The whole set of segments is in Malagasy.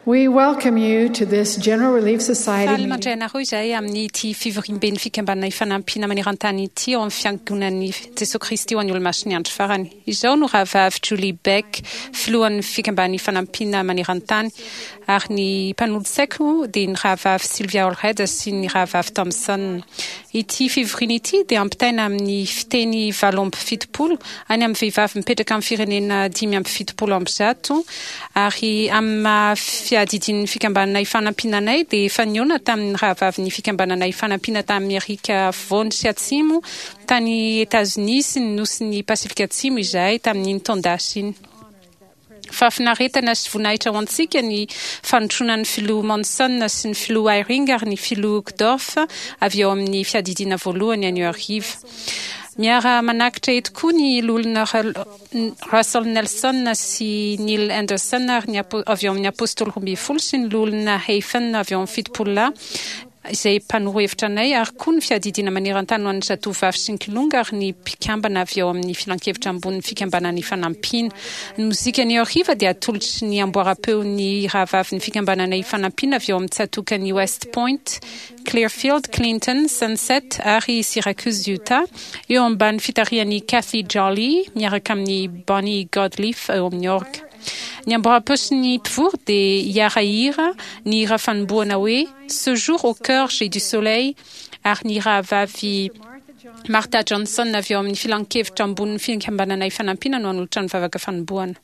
We welcome you to this General Relief Society Faly meeting. mandray anareo izahay amin'ity fivoriamben'ny Fikambanana Ifanampiana maneran-tany ity ao amin'ny Fiangonan'i Jesoa Kristy ho an'ny Olomasin'ny Andro Farany. Izaho no Rahavavy Julie Beck, filohan'ny Fikambanana Ifanampiana maneran-tany, ary ny mpanolotsaiko dia ny Rahavavy Sylvia Allred sy ny Rahavavy Thompson. Ity fivoriana ity dia ampitaina amin'ny fiteny 78 any amin'ny vehivavy mipetraka amin'ny firenena 175, ary amin'ny maha fiadidian'ny Fikambanana Ifanampiana anay dia efa nihaona tamin'ny rahavavin'ny Fikambanana Ifanampiana tany Amerika Afovoany sy Atsimo, tany Etazonia sy ny nosin'i Pasifika Atsimo izahay tamin'iny taon-dasa iny. Fahafinaretana sy voninahitra ho antsika ny fanotronan'ny Filoha Monson sy ny Filoha Eyring ary ny Filoha Uchtdorf avy ao amin'ny Fiadidiana Voalohany anio hariva. Miara-manakitra eto koa ny Loholona Russell Nelson sy Neil Andersen ary ny avy ao amin'ny Apôstôly Roambinifolo sy ny Loholona Hafen avy ao amin'ny Fitopololahy izay mpanoro hevitra anay, ary koa ny Fiadidiana maneran-tany ho an'ny zatovovavy sy ny kilonga ary ny mpikambana avy ao amin'ny Filankevitra ambonin'ny Fikambanana Ifanampiana. Ny mozika anio hariva dia atolotry ny amboaram-peon'ny rahavavin'ny Fikambanana Ifanampiana avy ao amin'ny tsatòkan'i West Point, Clearfield, Clinton, Sunset ary Syracuse, Utah, eo ambany fitarihan'i Kathy Jolly miaraka amin'i Bonnie Godliff eo amin'ny orga. Ny amboaram-peo sy ny mpivory dia hiara-hira ny hira fanombohana hoe Ce jour au cœur j'ai du soleil ary ny rahavavy Martha Johnson avy ao amin'ny Filankevitra ambonin'ny Fikambanana Ifanampiana no hanolotra ny vavaka fanombohana.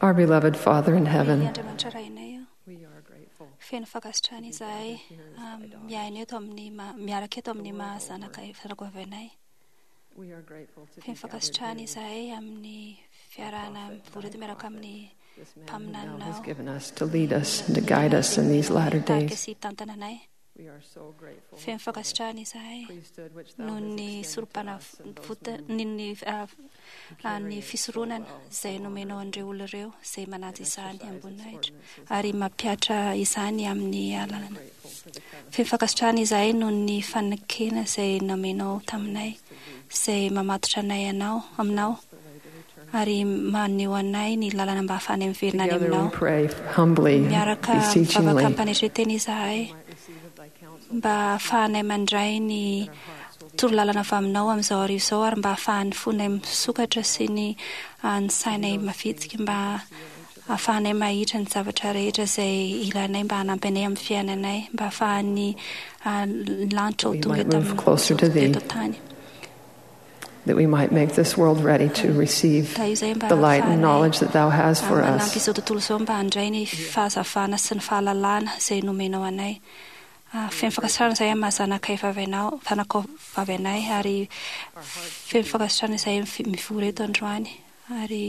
Our beloved Father in Ry heaven, Andriamanitra Rainay ô, feno fankasitrahana izahay miaina eto amin'ny ma- miaraka eto amin'ny maha zanaka zanako avy anay. Feno fankasitrahana izahay amin'ny fiarahana mivory eto miaraka amin'ny thou hast mpaminaninao given us to lead us and to guide us in these latter tarika days. sy hitantana anay. Feno fankasitrahana izahay noho ny sorom-panavota ny ny ny fisoronana izay nomenao an'ireo olona ireo izay manaja izany amboninahitra ary mampihatra izany amin'ny alalana. Feno fankasitrahana izahay noho ny fanekena izay nomenao taminay izay mamatotra anay anao aminao ary maneho anay ny lalana mba hahafahanay miverina any Together we aminao. pray humbly, Miaraka mivavaka beseechingly, am-panetren-tena izahay mba hahafahanay mandray ny torolalana avy aminao amin'izao hariva izao ary mba hahafahan'ny fonay misokatra sy ny ny sainay mavitrika mba hahafahanay mahitra ny zavatra rehetra izay ilanay mba hanampy anay amin'ny fiainanay mba hahafahan'ny lanitra ho We tonga might eto move amin'ny closer to thee. eto an-tany. that we might make this world ready to receive Tahiyo izay mba the light and hahafahanay knowledge that thou hast for manampy us. izao tontolo izao mba handray ny fahazavana sy ny fahalalana izay nomenao anay. Feno fankasitrahana izahay amin'ny maha zanakay vavy anao, zanakao vavy anay ary feno fankasitrahana izahay mivory eto androany ary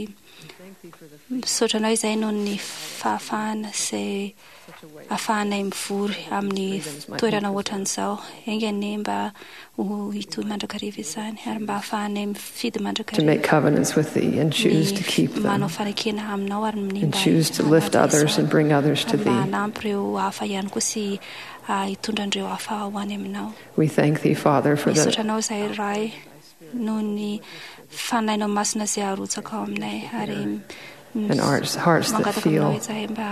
misaotra anao izahay noho ny fahafahana izay ahafahanay mivory amin'ny toerana ohatran'izao. Enga anie mba ho hitohy mandrakariva izany ary mba ahafahanay mifidy To make mandrakariva covenants with thee and choose to keep ny manao them, fanekena aminao ary ny and mba choose to lift hanaja others izany and bring others to ary mba thee. hanampy ireo hafa ihany koa sy hitondra an'ireo hafa ho any aminao. We thank thee, Father, for Misaotra the anao izahay Ray noho ny fanahinao masina izay arotsaka ao aminay ary and hearts, hearts that mangataka aminao feel izahay mba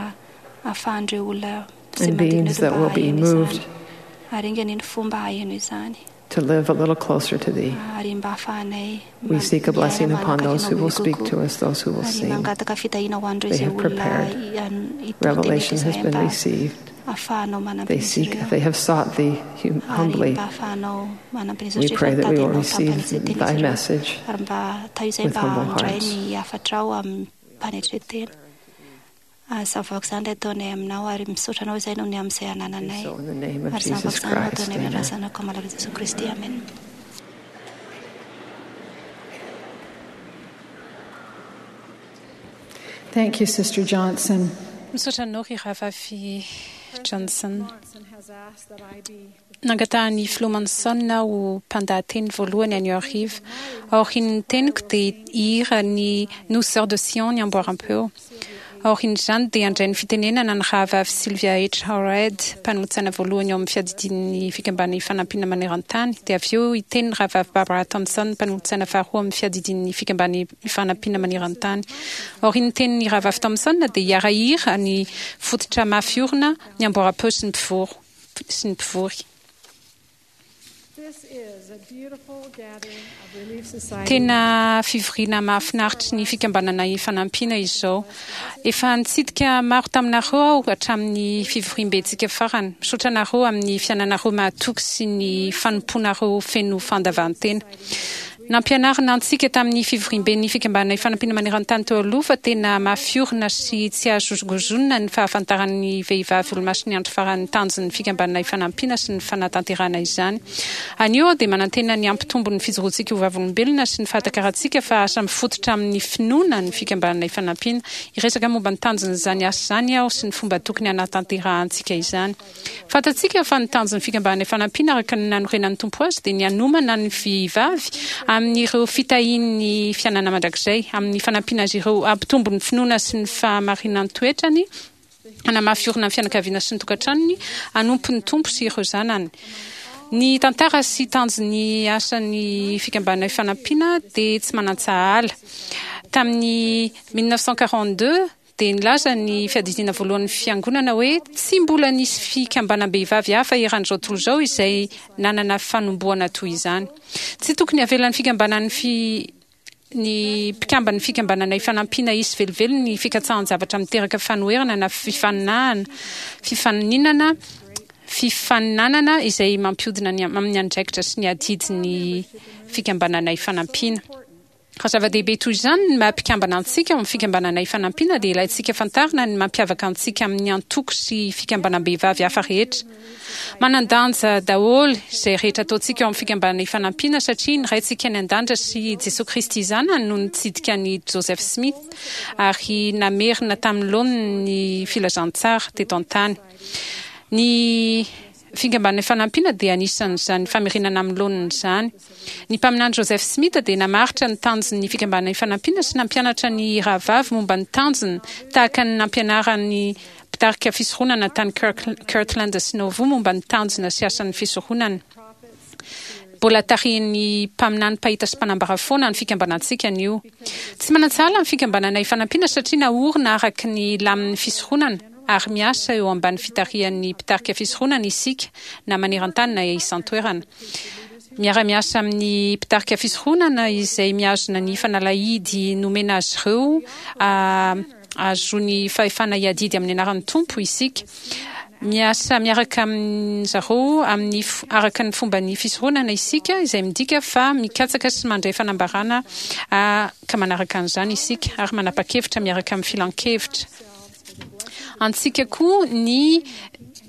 ahafahan'ireo olona izay and manodidina beings eto that mba will be haheno moved izany. Ary enga anie ny fomba haheno izany to live a little closer to thee. ary mba ahafahanay We seek a blessing miaina upon manakaiky those who anao will bebe speak kokoa. to us, those who will Ary sing. mangataka fitahiana ho an'ireo They izay have olona prepared. hitory teny eto Revelation has izahay been mba received. ahafahanao manampy They an'izy seek, ireo. they have sought thee Ary humbly. mba ahafahanao manampy an'izy We ireo pray rehefa that we mitady will anao receive tampanetren-tena thy izy ireo. message Ary mba tahiyo izay with mba humble handray hearts. ny hafatrao amin'ny mpanetren-tena. Izany vavaka izany ilay ataonay aminao ary misaotra anao izay noho ny amin'izay anananay. So in the name of Ary izany Jesus vavaka izany no Christ, ataonay amin'ny amen. anaran'ny Zanakao malala Jesoa Kristy. Amen. Thank you, Sister Johnson. Misaotra anao ry rahavavy Johnson. Johnson has asked that I be Nangatahan'ny filoha Manson ho mpandahateny voalohany anio hariva. Aorian'ny teniko dia hihira ny Nous Sœurs de Sion ny amboaram-peo. Aorian'izany dia handray ny fitenenana ny rahavavy Sylvia H. Howard, mpanolotsaina voalohany ao amin'ny fiadidian'ny fikambanana Ifanampiana maneran-tany. Dia avy eo hiteny ny rahavavy Barbara Thompson, mpanolotsaina faharoa amin'ny fiadidian'ny fikambanana Ifanampiana maneran-tany. Aorian'ny tenin'ny rahavavy Thompson dia hiara-hira ny fototra mafy orina ny amboaram-peo sy ny mpivory sy ny mpivory. This is a beautiful gathering of Relief Society. Tena fivoriana mahafinaritry ny fikambanana Ifanampiana izao. Efa nitsidika maro taminareo aho hatramin'ny fivoriambentsika farany. Misaotra anareo amin'ny fiainanareo mahatoky sy ny fanompoanareo feno fandavan-tena. Nampianarina antsika tamin'ny fivoriamben'ny fikambanana Ifanampiana maneran-tany teo aloha fa tena mafy orina sy tsy azo hozongozonina ny fahafantaran'ny vehivavy olomasin'ny andro farany tanjon'ny fikambanana Ifanampiana sy ny fanatanterahana izany. Anio aho dia manantena ny hampitombo ny fijoroantsika ho vavolombelona sy ny fahatakarantsika fa asa mifototra amin'ny finoana ny fikambanana Ifanampiana. Hiresaka momba ny tanjon'izany asa izany aho sy ny fomba tokony hanatanterahantsika izany. Fantatsika fa ny tanjon'ny fikambanana Ifanampiana araka ny nanorenan'ny Tompo azy dia ny hanomana ny vehivavy amin'ireo fitahian'ny fiainana mandrakizay, amin'ny fanampiana azy ireo hampitombo ny finoana sy ny fahamarinan-toetrany, hanamafy orina ny fianakaviana sy ny tokantranony, hanompo ny Tompo sy ireo zanany. Ny tantara sy tanjon'ny asan'ny fikambanana Ifanampiana dia tsy manan-tsahala. Tamin'ny 1942, dia nilaza ny fiadidiana voalohan'ny Fiangonana hoe tsy mbola nisy fikambanam-behivavy hafa eran'izao tontolo izao izay nanana fanombohana toy izany. Tsy tokony havelan'ny fikambanan'ny fi ny mpikamban'ny fikambanana Ifanampiana hisy velively ny fikatsahan-javatra miteraka fanoherana na fifaninahana fifaninana fifaninanana izay mampihodina ny amin'ny andraikitra sy ny adidin'ny fikambanana Ifanampiana. Raha zava-dehibe toy izany ny maha mpikambana antsika ao amin'ny Fikambanana Ifanampiana dia ilaintsika fantarina ny mampiavaka antsika amin'ny antoko sy fikambanam-behivavy hafa rehetra. Manan-danja daholo izay rehetra ataontsika ao amin'ny Fikambanana Ifanampiana satria ny Raintsika any An-danitra sy Jesoa Kristy Zanany no nitsidika an'i Joseph Smith ary namerina tamin'ny laoniny ny filazantsara teto an-tany. Ny Fikambanana Ifanampiana dia anisan'izany famerenana amin'ny laoniny izany. Ny Mpaminany Joseph Smith dia namaritra ny tanjon'ny Fikambanana Ifanampiana sy nampianatra ny rahavavy momba ny tanjony tahaka ny nampianaran'ny mpitarika fisoronana tany Kirtland sy Nauvoo momba ny tanjona sy asan'ny fisoronana. Mbola tarihin'ny mpaminany mpahita sy mpanambara foana ny fikambanantsika anio. Tsy manan-tsahala ny Fikambanana Ifanampiana satria naorina araka ny lamin'ny fisoronana. ary miasa eo ambany fitarihan'ny mpitarika fisoronana isika na maneran-tany na isan-toerana. Miara-miasa amin'ny mpitarika fisoronana izay mihazona ny fanalahidy nomena azy ireo ahazoany fahefana hiadidy amin'ny anaran'ny Tompo isika. Miasa miaraka amin-jareo amin'ny araka ny fomban'ny fisoronana isika, izay midika fa mikatsaka sy mandray fanambarana ka manaraka an'izany isika ary manapa-kevitra miaraka amin'ny filan-kevitra. Antsika koa ny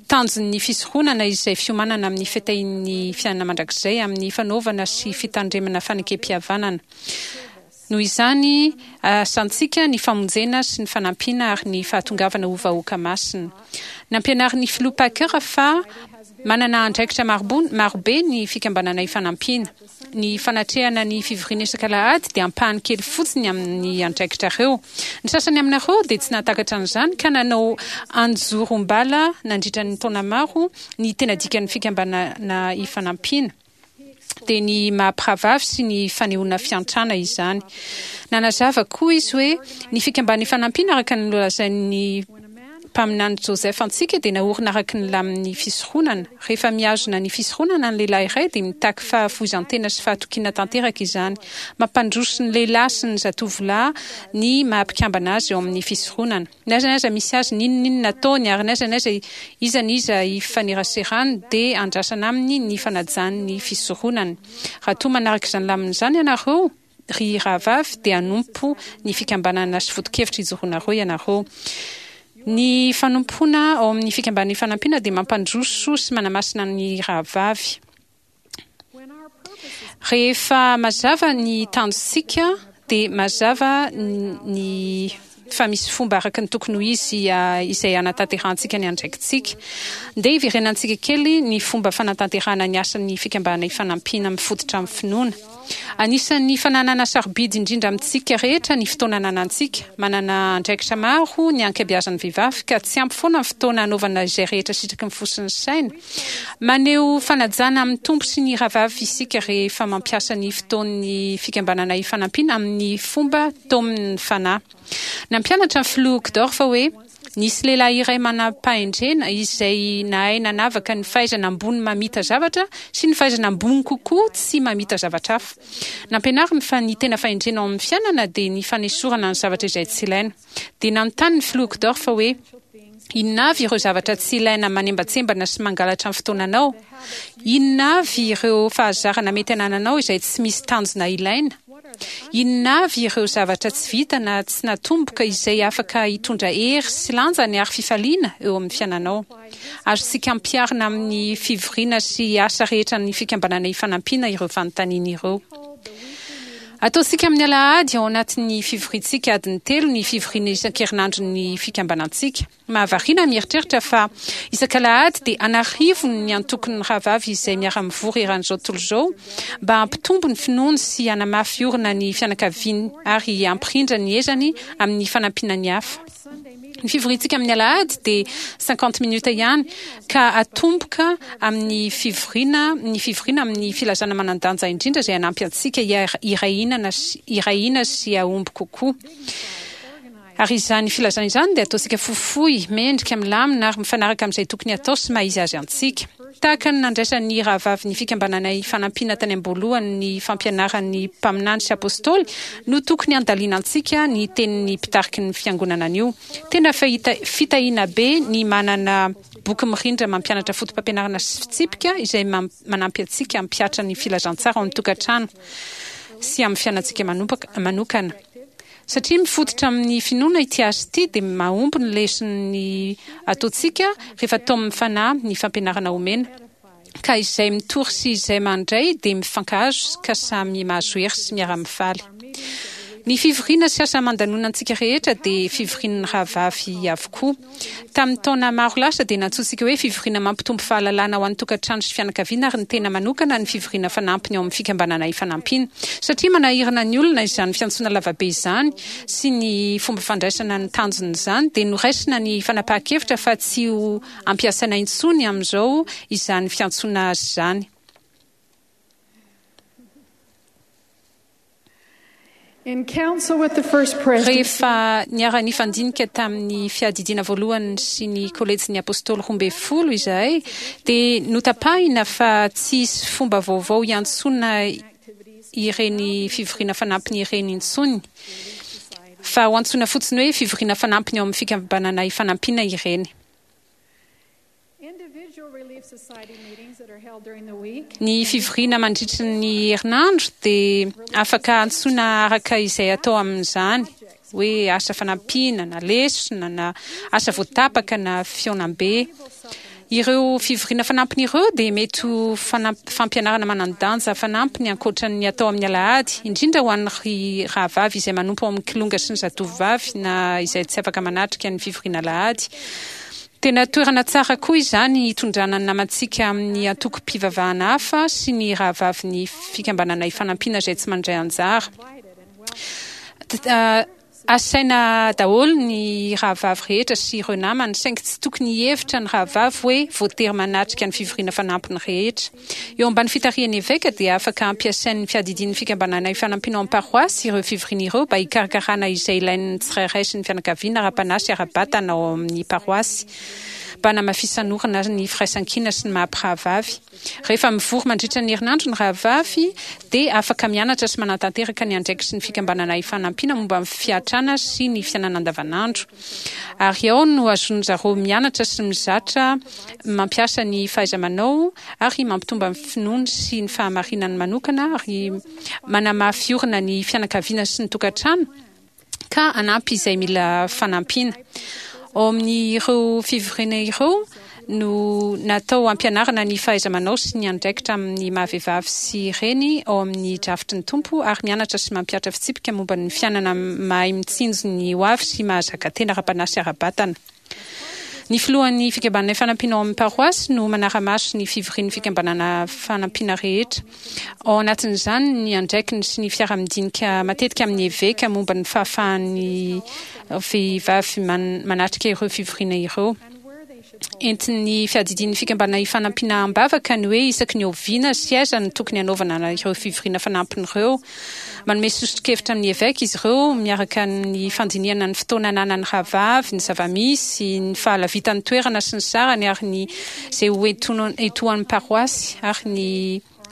tanjon'ny fisoronana izay fiomanana amin'ny fetahin'ny fiainana mandrakizay amin'ny fanaovana sy fitandremana fanekem-pihavanana. Noho izany, asantsika ny famonjena sy ny fanampiana ary ny fahatongavana ho vahoaka masina. Nampianarin'ny Filoha Packer fa manana andraikitra marobe ny Fikambanana Ifanampiana. Ny fanatrehana ny fivoriana isak'alahady dia ampahany kely fotsiny amin'ny andraikitrareo. Ny sasany aminareo dia tsy nahatakatra an'izany ka nanao anjorom-bala nandritra ny taona maro ny tena dikan'ny fikambanana ifanampiana, dia ny maha-mpirahavavy sy ny fanehoana fiantrana izany. Nanazava koa izy hoe ny fikambanana ifanampiana araka ny nolazain'ny Mpaminany Joseph antsika dia naorina araka ny lamin'ny fisoronana. Rehefa mihazona ny fisoronana ny lehilahy iray dia mitaky fahafoizan-tena sy fahatokiana tanteraka izany. Mampandroso ny lehilahy sy ny zatovolahy ny maha-mpikambana azy eo amin'ny fisoronana. N'aiza n'aiza misy azy, n'inon'inona ataony ary n'aiza n'aiza iza n'iza ifaneraserany dia andrasana aminy ny fanajany ny fisoronany. Raha toa manaraka izany lamina izany ianareo, Ry rahavavy, dia hanompo ny fikambanana sy foto-kevitra ijoroanareo ianareo. Ny fanompoana ao amin'ny Fikambanana Ifanampiana dia mampandroso sy manamasina ny rahavavy. Rehefa mazava ny tanjontsika, dia mazava ny fa misy fomba araka ny tokony ho izy izay hanatanterahantsika ny andraikitsika. Ndeha hiverenantsika kely ny fomba fanatanterahana ny asan'ny Fikambanana Ifanampiana mifototra amin'ny finoana. Anisan'ny fananana sarobidy indrindra amintsika rehetra ny fotoana ananantsika. Manana andraikitra maro ny ankabeazan'ny vehivavy ka tsy ampy foana ny fotoana hanaovana izay rehetra sitraky ny fo sy ny saina. Maneho fanajana amin'ny Tompo sy ny rahavavy isika rehefa mampiasa ny fotoan'ny Fikambanana Ifanampiana amin'ny fomba taomin'ny Fanahy. Nampianatra ny Filoha Uchtdorf hoe, Nisy lehilahy iray manam-pahendrena izay nahay nanavaka ny fahaizana ambony mamita zavatra sy ny fahaizana ambony kokoa tsy mamita zavatra hafa. Nampianariny fa ny tena fahendrena ao amin'ny fiainana dia ny fanesorana ny zavatra izay tsy ilaina. Dia nanontany ny Filoha Uchtdorf hoe, Inona avy ireo zavatra tsy ilaina manembantsembana sy mangalatra ny fotoananao? Inona avy ireo fahazarana mety anananao izay tsy misy tanjona ilaina? Inona avy ireo zavatra tsy vita na tsy natomboka izay afaka hitondra hery sy lanjany ary fifaliana eo amin'ny fiainanao? Azontsika ampiharina amin'ny fivoriana sy asa rehetra an'ny Fikambanana Ifanampiana ireo fanontaniana ireo. Ataontsika amin'ny alahady ao anatin'ny fivoriantsika adiny telo ny fivoriana isan-kerinandron'ny fikambanantsika. Mahavariana ny mieritreritra fa isak'alahady dia an'arivony ny antokon'ny rahavavy izay miara-mivory eran'izao tontolo izao mba hampitombo ny finoany sy hanamafy orina ny fianakaviany ary hampirindra ny ezany amin'ny fanampiana ny hafa. Ny fivoriantsika amin'ny alahady dia cinquante minutes ihany ka atomboka amin'ny fivoriana ny fivoriana amin'ny filazana manan-danja indrindra izay hanampy antsika hiray hina sy hahomby kokoa. Ary izany filazana izany dia ataontsika fohifohy, mendrika, milamina ary mifanaraka amin'izay tokony hatao sy maha izy azy antsika. Tahaka ny nandraisan'ny rahavavin'ny Fikambananay Fanampiana tany am-boalohany ny fampianaran'ny mpaminany sy apostoly no tokony handalinantsika ny tenin'ny mpitariky ny Fiangonana anio. Tena fitahiana be ny manana boky mirindra mampianatra fotopampianarana sy fitsipika izay manampy antsika hampihatra ny filazantsara ao amin'ny tokantrano. sy amin'ny fiainantsika manokana. Satria mifototra amin'ny finoana ity asa ity dia mahomby ny leson'ny ataontsika rehefa taomin'ny Fanahy ny fampianarana omena. Ka izay mitory sy izay mandray dia mifankahazo ka samy mahazo hery sy miara-mifaly. Ny fivoriana sy asa aman-danonantsika rehetra dia fivorian'ny rahavavy avokoa. Tamin'ny taona maro lasa dia nantsointsika hoe fivoriana mampitombo fahalalana ho an'ny tokantrano sy fianakaviana ary ny tena manokana ny fivoriana fanampiny ao amin'ny Fikambanana Ifanampiana. Satria manahirana ny olona izany fiantsoana lavabe izany sy ny fomba fandraisana ny tanjon'izany dia noraisina ny fanapahan-kevitra fa tsy ho ampiasaina intsony amin'izao izany fiantsoana azy izany. Rehefa niara-nifandinika tamin'ny Fiadidiana Voalohany sy ny Kolejin'ny Apôstôly Roambinifolo izahay, dia notapahina fa tsy hisy fomba vaovao hiantsoana ireny fivoriana fanampiny ireny intsony, fa ho antsoina fotsiny hoe fivoriana fanampiny ao amin'ny Fikambanana Ifanampiana ireny. Ny fivoriana mandritry ny herinandro dia afaka antsoina araka izay atao amin'izany, hoe asa fanampiana na lesona na asa voatapaka na fihaonambe. Ireo fivoriana fanampiny ireo dia mety ho fampianarana manan-danja fanampiny ankoatra ny atao amin'ny alahady, indrindra ho an'ny rahavavy izay manompo ao amin'ny kilonga sy ny zatovovavy na izay tsy afaka manatrika ny fivoriana alahady. Tena toerana tsara koa izany hitondrana ny namantsika amin'ny antokom-pivavahana hafa sy ny rahavavin'ny Fikambanana Ifanampiana izay tsy mandray anjara. Asaina daholo ny rahavavy rehetra sy ireo namany, saingy tsy tokony hihevitra ny rahavavy hoe voatery manatrika ny fivoriana fanampiny rehetra. Eo ambany fitarihan'ny eveka dia afaka ampiasain'ny fiadidian'ny Fikambanana Ifanampiana ao amin'ny paroasy ireo fivoriana ireo mba hikarakarana izay ilain'ny tsirairay sy ny fianakaviana ara-panahy sy ara-batana ao amin'ny paroasy mba hanamafisan'orina ny firaisankina sy ny maha-mpirahavavy. Rehefa mivory mandritra ny herinandro ny rahavavy dia afaka mianatra sy manatanteraka ny andraikitry ny Fikambanana Ifanampiana momba ny fiatrana sy ny fiainana andavanandro. Ary ao no azon-jareo mianatra sy mizatra mampiasa ny fahaiza-manao ary mampitomba ny finoany sy ny fahamarinany manokana ary manamafy orina ny fianakaviana sy ny tokantrano ka hanampy izay mila fanampiana. Ao amin'ireo fivoriana ireo no natao hampianarana ny fahaiza-manao sy ny andraikitra amin'ny maha-vehivavy sy reny ao amin'ny drafitry ny Tompo ary mianatra sy mampihatra fitsipika momba ny fiainana mahay mitsinjo ny hoavy sy mahazaka tena ara-panahy sy ara-batana. Ny filohan'ny Fikambanana Ifanampiana ao amin'ny paroasy no manara-maso ny fivorian'ny Fikambanana Fanampiana rehetra. Ao anatin'izany ny andraikiny sy ny fiaraha-midinika matetika amin'ny eveka momba ny fahafahan'ny vehivavy manatrika ireo fivoriana ireo. Entin'ny fiadidian'ny Fikambanana Ifanampiana am-bavaka ny hoe isaky ny oviana sy aiza no tokony hanaovana ireo fivoriana fanampiny ireo. Manome soso-kevitra amin'ny eveka izy ireo miaraka amin'ny fandinihana ny fotoana ananan'ny rahavavy, ny zava-misy, ny fahalavitan'ny toerana sy ny sarany ary ny izay ho etoan'ny paroasy ary ny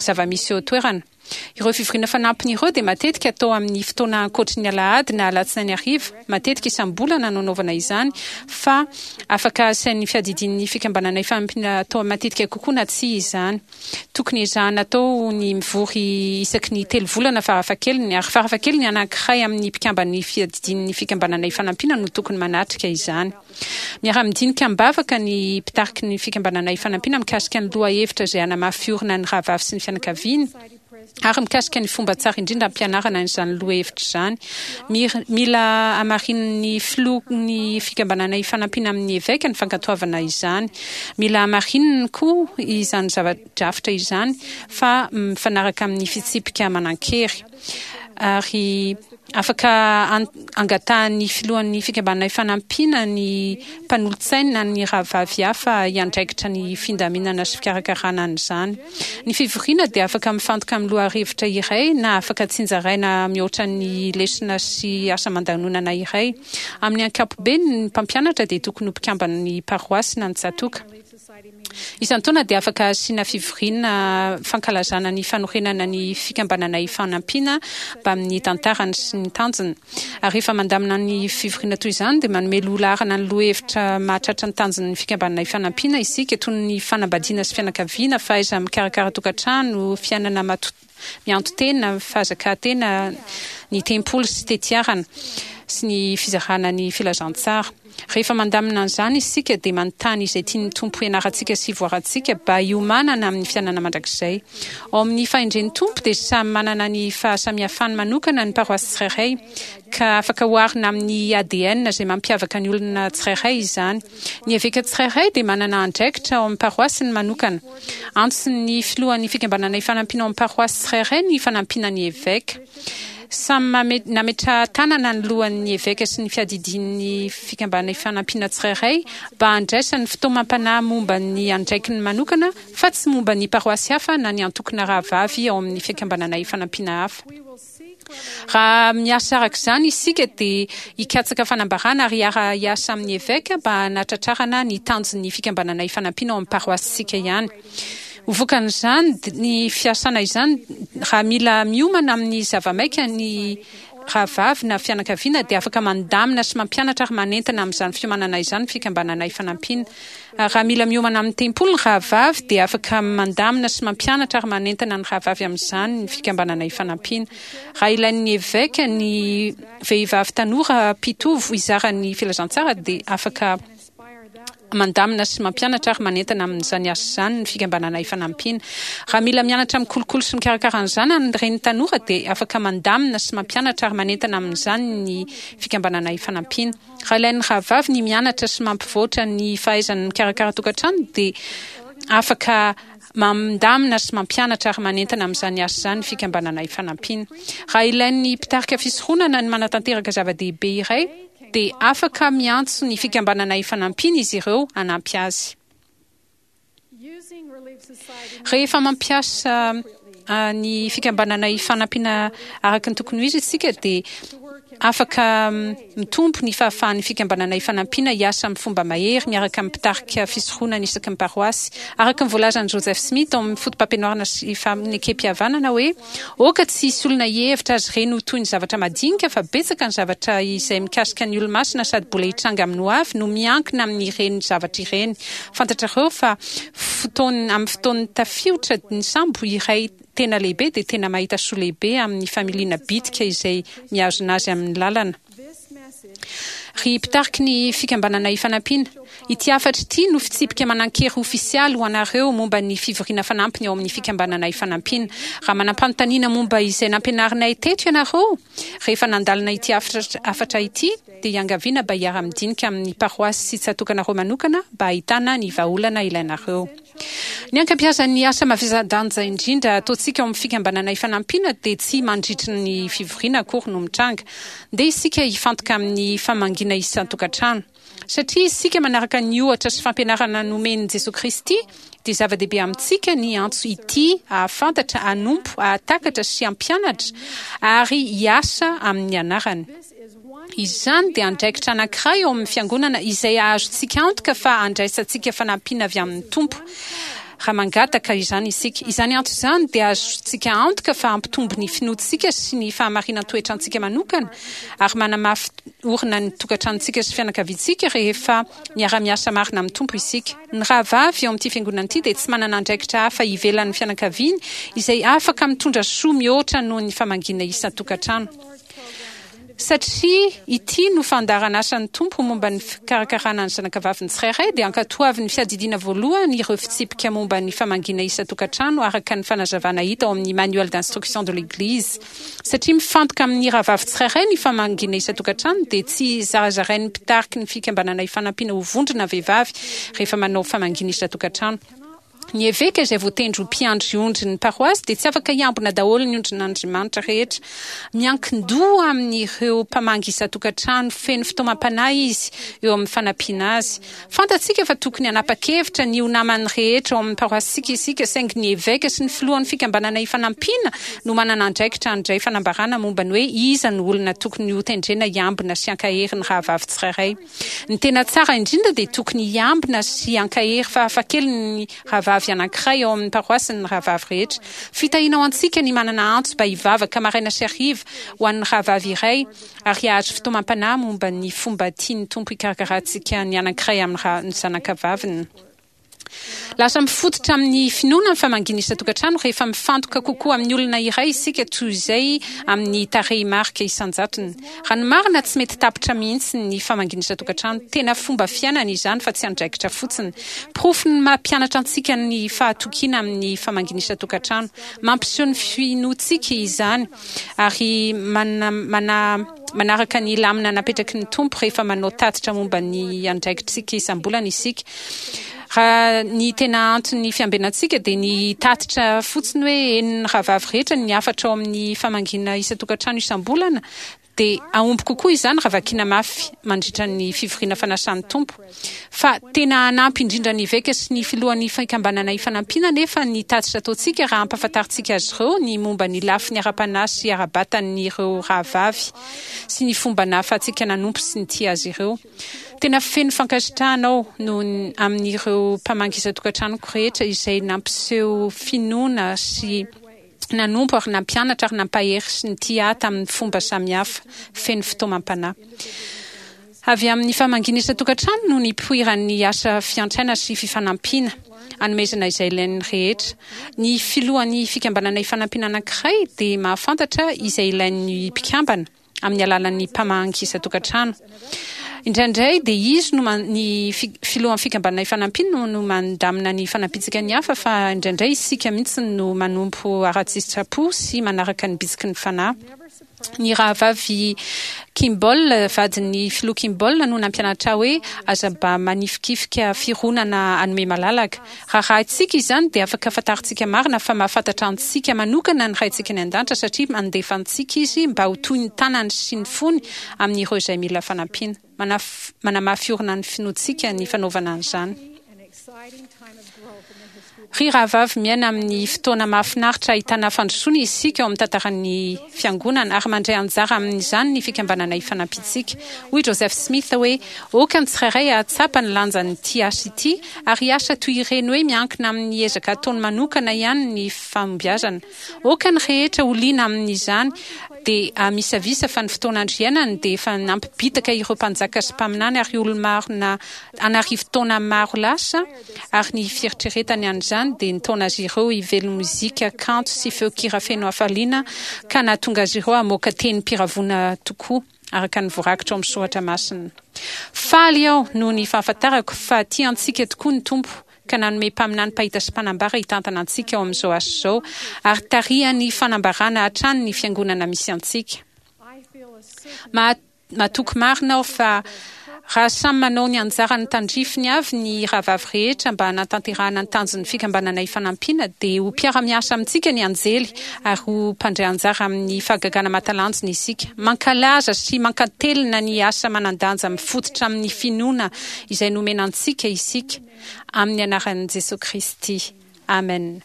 zava-misy eo an-toerana. Ireo fivoriana fanampiny ireo dia matetika atao amin'ny fotoana ankoatry ny alahady na alatsinainy hariva, matetika isam-bolana no anaovana izany, fa afaka asain'ny fiadidian'ny fikambanana ifanampiana atao matetika kokoa na tsia izany. Tokony ezahana atao ny mivory isaky ny telo volana farafahakeliny, ary farafahakeliny anankiray amin'ny mpikamban'ny fiadidian'ny Fikambanana Ifanampiana no tokony manatrika izany. Miara-midinika am-bavaka ny mpitariky ny Fikambanana Ifanampiana mikasika ny lohahevitra izay hanamafy orina ny rahavavy sy ny fianakaviany, ary mikasika ny fomba tsara indrindra hampianarana an'izany lohahevitra izany. Mila hamarinin'ny filohan'ny Fikambanana Ifanampiana amin'ny eveka ny fankatoavana izany. Mila hamarininy koa izany zava-drafitra izany fa mifanaraka amin'ny fitsipika manan-kery. Ary afaka angatahan'ny filohan'ny Fikambanana Ifanampiana ny mpanolotsainy na ny rahavavy hafa hiandraikitra ny findaminana sy fikarakarana an'izany. Ny fivoriana dia afaka mifantoka amin'ny lohahevitra iray na afaka tsinjaraina mihoatra ny lesona sy asa aman-danonana iray. Amin'ny ankapobeny, ny mpampianatra dia tokony ho mpikamban'ny paroasy na ny tsatòka. Isan-taona dia afaka asiana fivoriana fankalazana ny fanorenana ny Fikambanana Ifanampiana mbamin'ny tantarany sy ny tanjony. Ary rehefa mandamina ny fivoriana toy izany dia manome loha laharana ny lohahevitra mahatratra ny tanjon'ny Fikambanana Ifanampiana isika, toy ny fanambadiana sy fianakaviana, fahaiza-mikarakara tokantrano, fiainana. Mianto-tena, fahazakàn-tena, ny tempoly sy tetiarana, sy ny fizarana ny filazantsara. Rehefa mandamina an'izany isika dia manontany izay tian'ny Tompo hianarantsika sy hivoarantsika ba hiomanana amin'ny fiainana mandrakizay. Ao amin'ny fahendren'ny Tompo dia samy manana ny fahasamihafany manokana ny paroasy tsirairay ka afaka oharina amin'ny ADN izay mampiavaka ny olona tsirairay izany. Ny eveka tsirairay dia manana andraikitra ao amin'ny paroasiny manokana. Antson'ny filohan'ny Fikambanana Ifanampiana ao amin'ny paroasy tsirairay ny fanampiana ny eveka. Samy nametraha-tanana ny lohan'ny eveka sy ny fiadidian'ny Fikambanana Ifanampiana tsirairay mba handraisany fitaomam-panahy momba ny andraikiny manokana fa tsy momba ny paroasy hafa na ny antokona rahavavy ao amin'ny Fikambanana Ifanampiana hafa. Raha miasa araka izany isika dia hikatsaka fanambarana ary hiara-hiasa amin'ny eveka mba hanatratrarana ny tanjon'ny Fikambanana Ifanampiana ao amin'ny paroasintsika ihany. Ho vokan'izany, ny fiasana izany, raha mila miomana amin'ny zava-maika ny rahavavy na fianakaviana dia afaka mandamina sy mampianatra ary manentana amin'izany fiomanana izany ny Fikambanana Ifanampiana. Ary raha mila miomana amin'ny tempoly ny rahavavy dia afaka mandamina sy mampianatra ary manentana ny rahavavy amin'izany ny Fikambanana Ifanampiana. Raha ilain'ny eveka ny vehivavy tanora mpitovo hizara ny filazantsara dia afaka Mandamina sy mampianatra ary manentana amin'izany asa izany ny Fikambanana Ifanampiana. Raha mila mianatra mikolokolo sy mikarakara ny zanany ny reny tanora dia afaka mandamina sy mampianatra ary manentana amin'izany ny Fikambanana Ifanampiana. Raha ilain'ny rahavavy ny mianatra sy mampivoatra ny fahaizany mikarakara tokantrano dia afaka mandamina sy mampianatra ary manentana amin'izany asa izany ny Fikambanana Ifanampiana. Raha ilain'ny mpitarika fisoronana ny manatanteraka zava-dehibe iray dia afaka miantso ny Fikambanana Ifanampiana izy ireo hanampy azy. Rehefa mampiasa ny Fikambanana Ifanampiana araka ny tokony ho izy isika dia afaka mitombo ny fahafahan'ny Fikambanana Ifanampiana hiasa amin'ny fomba mahery miaraka amin'ny mpitarika fisoronana isaky ny paroasy. Araka ny voalazan'i Joseph Smith ao amin'ny Fotopampianarana sy Fanekempihavanana hoe, Aoka tsy hisy olona hihevitra azy ireny ho toy ny zavatra madinika fa betsaka ny zavatra izay mikasika ny Olomasina sady mbola hitranga amin'ny hoavy no miankina amin'ireny zavatra ireny. Fantatrareo fa fotoan amin'ny fotoan'ny tafiotra ny sambo iray tena lehibe dia tena mahita soa lehibe amin'ny familiana bitika izay mihazona azy amin'ny lalana. Ry mpitariky ny Fikambanana Ifanampiana, ity hafatra ity no fitsipika manan-kery ofisialy ho anareo momba ny fivoriana fanampiny ao amin'ny Fikambanana Ifanampiana. Raha manam-panontaniana momba izay nampianarinay teto ianareo rehefa nandalina ity hafatra ity, dia iangaviana mba hiara-midinika amin'ny paroasy sy tsatokanareo manokana mba hahitana ny vahaolana ilainareo. Ny ankabeazan'ny asa mavesa-danja indrindra ataontsika ao amin'ny Fikambanana Ifanampiana dia tsy mandritry ny fivoriana akory no mitranga. Ndeha isika hifantoka amin'ny famangiana isan-tokantrano. Satria isika manaraka ny ohatra sy fampianarana nomen'i Jesoa Kristy, dia zava-dehibe amintsika ny antso hitia, hahafantatra, hanompo, hahatakatra sy hampianatra ary hiasa amin'ny anarany. Izany dia andraikitra anankiray ao amin'ny Fiangonana izay ahazotsika antoka fa andraisantsika fanampiana avy amin'ny Tompo raha mangataka izany isika. Izany antso izany dia ahazotsika antoka fa hampitombo ny finoantsika sy ny fahamarinan-toetrantsika manokana ary manamafy orina ny tokantranontsika sy fianakaviantsika rehefa miara-miasa marina amin'ny Tompo isika. Ny rahavavy ao amin'ity Fiangonana ity dia tsy manana andraikitra hafa ivelan'ny fianakaviany izay afaka mitondra soa mihoatra noho ny famangiana isan-tokantrano. Satria ity no fandaharan'asan'ny Tompo momba ny fikarakarana ny zanakavaviny tsirairay, dia ankatoavin'ny Fiadidiana Voalohany ireo fitsipika momba ny famangiana isan-tokantrano araka ny fanazavana hita ao amin'ny Manuel d'instruction de l'Église. Satria mifantoka amin'ny rahavavy tsirairay ny famangiana isan-tokantrano, dia tsy zarazarain'ny mpitariky ny Fikambanana Ifanampiana ho vondrona vehivavy rehefa manao famangiana isan-tokantrano. Ny eveka izay voatendry ho mpiandry ondry ny paroasy dia tsy afaka hiambina daholo ny ondrin'Andriamanitra rehetra. Miankin-doha amin'ireo mpamangy isan-tokantrano feno fitaomam-panahy izy eo amin'ny fanampiana azy. Fantatsika fa tokony hanapa-kevitra ny ho naman'ny rehetra ao amin'ny paroasintsika isika, saingy ny eveka sy ny filohan'ny Fikambanana Ifanampiana no manana andraikitra handray fanambarana momba ny hoe iza no olona tokony hotendrena hiambina sy hankahery ny rahavavy tsirairay. Ny tena tsara indrindra dia tokony hiambina sy hankahery fahafahakeliny ny rahavavy anankiray ao amin'ny paroasiny ny rahavavy rehetra. Fitahiana ho antsika ny manana antso mba hivavaka maraina sy hariva ho an'ny rahavavy iray ary hahazo fitaomam-panahy momba ny fomba tian'ny Tompo hikarakarantsika ny anankiray amin'ny zanakavaviny. Lasa mifototra amin'ny finoana ny famangiana isan-tokantrano rehefa mifantoka kokoa amin'ny olona iray isika toy izay amin'ny tarehimarika isan-jatony. Raha ny marina, tsy mety tapitra mihitsy ny famangiana isan-tokantrano. Tena fomba fiainana izany fa tsy andraikitra fotsiny. Porofon'ny maha mpianatra antsika ny fahatokiana amin'ny famangiana isan-tokantrano. Mampiseho ny finoantsika izany ary manaraka ny lamina napetraky ny Tompo rehefa manao tatitra momba ny andraikitrtsika isam-bolana isika. Raha ny tena anton'ny fiambenantsika dia ny hitatitra fotsiny hoe henon'ny rahavavy rehetra ny hafatra ao amin'ny famangiana isan-tokantrano isam-bolana, dia hahomby kokoa izany raha vakiana mafy mandritra ny fivoriana fanasan'ny Tompo. Fa tena hanampy indrindra ny eveka sy ny filohan'ny Fikambanana Ifanampiana anefa ny tatitra ataontsika raha ampahafantarintsika azy ireo ny momba ny lafiny ara-panahy sy ara-batan'ireo rahavavy sy ny fomba nahafahantsika nanompo sy nitia azy ireo. Tena feno fankasitrahana aho noho ny amin'ireo mpamangy isan-tokantranoko rehetra izay nampiseho finoana sy nanompo ary nampianatra ary nampahery sy nitia ahy tamin'ny fomba samihafa feno fitaomam-panahy. Avy amin'ny famangiana isan-tokantrano no nipoiran'ny asa fiantraina sy fifanampiana, anomezana izay ilain'ny rehetra. Ny filohan'ny fikambanana ifanampiana anankiray dia mahafantatra izay ilain'ny mpikambana. amin'ny alalan'ny mpamangy isan-tokantrano. Indraindray dia izy no ny filohan'ny fikambanana Ifanampiana no mandamina ny fanampiantsika ny hafa fa indraindray isika mihitsy no manompo ara-tsitrapo sy manaraka ny bitsiky ny fanahy. Ny rahavavy Kimball, vadin'ny filoha Kimball no nampianatra ahy hoe aza mba manifikifika fironana hanome malalaka. Raha rahintsika izany dia afaka fantarintsika marina fa mahafantatra antsika manokana ny Raintsika any An-danitra satria mandefa antsika Izy mba ho toy ny tanany sy ny fony amin'ireo izay mila fanampiana. Manamafy orina ny finoantsika ny fanaovana an'izany. Ry rahavavy, miaina amin'ny fotoana mahafinaritra ahitana fandrosoana isika ao amin'ny tantaran'ny Fiangonana ary mandray anjara amin'izany ny Fikambanana Ifanampiantsika. Hoy Joseph Smith hoe, Aoka ny tsirairay hahatsapa ny lanjan'ity asa ity ary hiasa toy ireny hoe miankina amin'ny ezaka ataony manokana ihany ny fahombiazana. Aoka ny rehetra ho liana amin'izany dia hamisavisa fa ny fotoan'andro iainany dia efa nampibitaka ireo mpanjaka sy mpaminany ary olo-marina an'arivo taona maro lasa ary ny fieritreretany an'izany dia nitaona azy ireo hively mozika kanto sy feon-kira feno hafaliana ka nahatonga azy ireo hamoaka tenim-piravoana tokoa. araka ny voarakitra ao amin'ny soratra masina. Faly aho noho ny fahafantarako fa tia antsika tokoa ny Tompo ka nanome mpaminany mpahita sy mpanambara hitantana antsika ao amin'izao asa izao ary tarihany fanambarana hatrany ny fiangonana misy antsika. Matoky marina aho fa Raha samy manao ny anjarany tandrifiny avy ny rahavavy rehetra mba hanatanterahana ny tanjon'ny Fikambanana Ifanampiana, dia ho mpiara-miasa amintsika ny anjely ary ho mpandray anjara amin'ny fahagagana mahatalanjona isika. Mankalaza sy mankantelina ny asa manan-danja mifototra amin'ny finoana izay nomena antsika isika, amin'ny anaran'i Jesoa Kristy. Amen.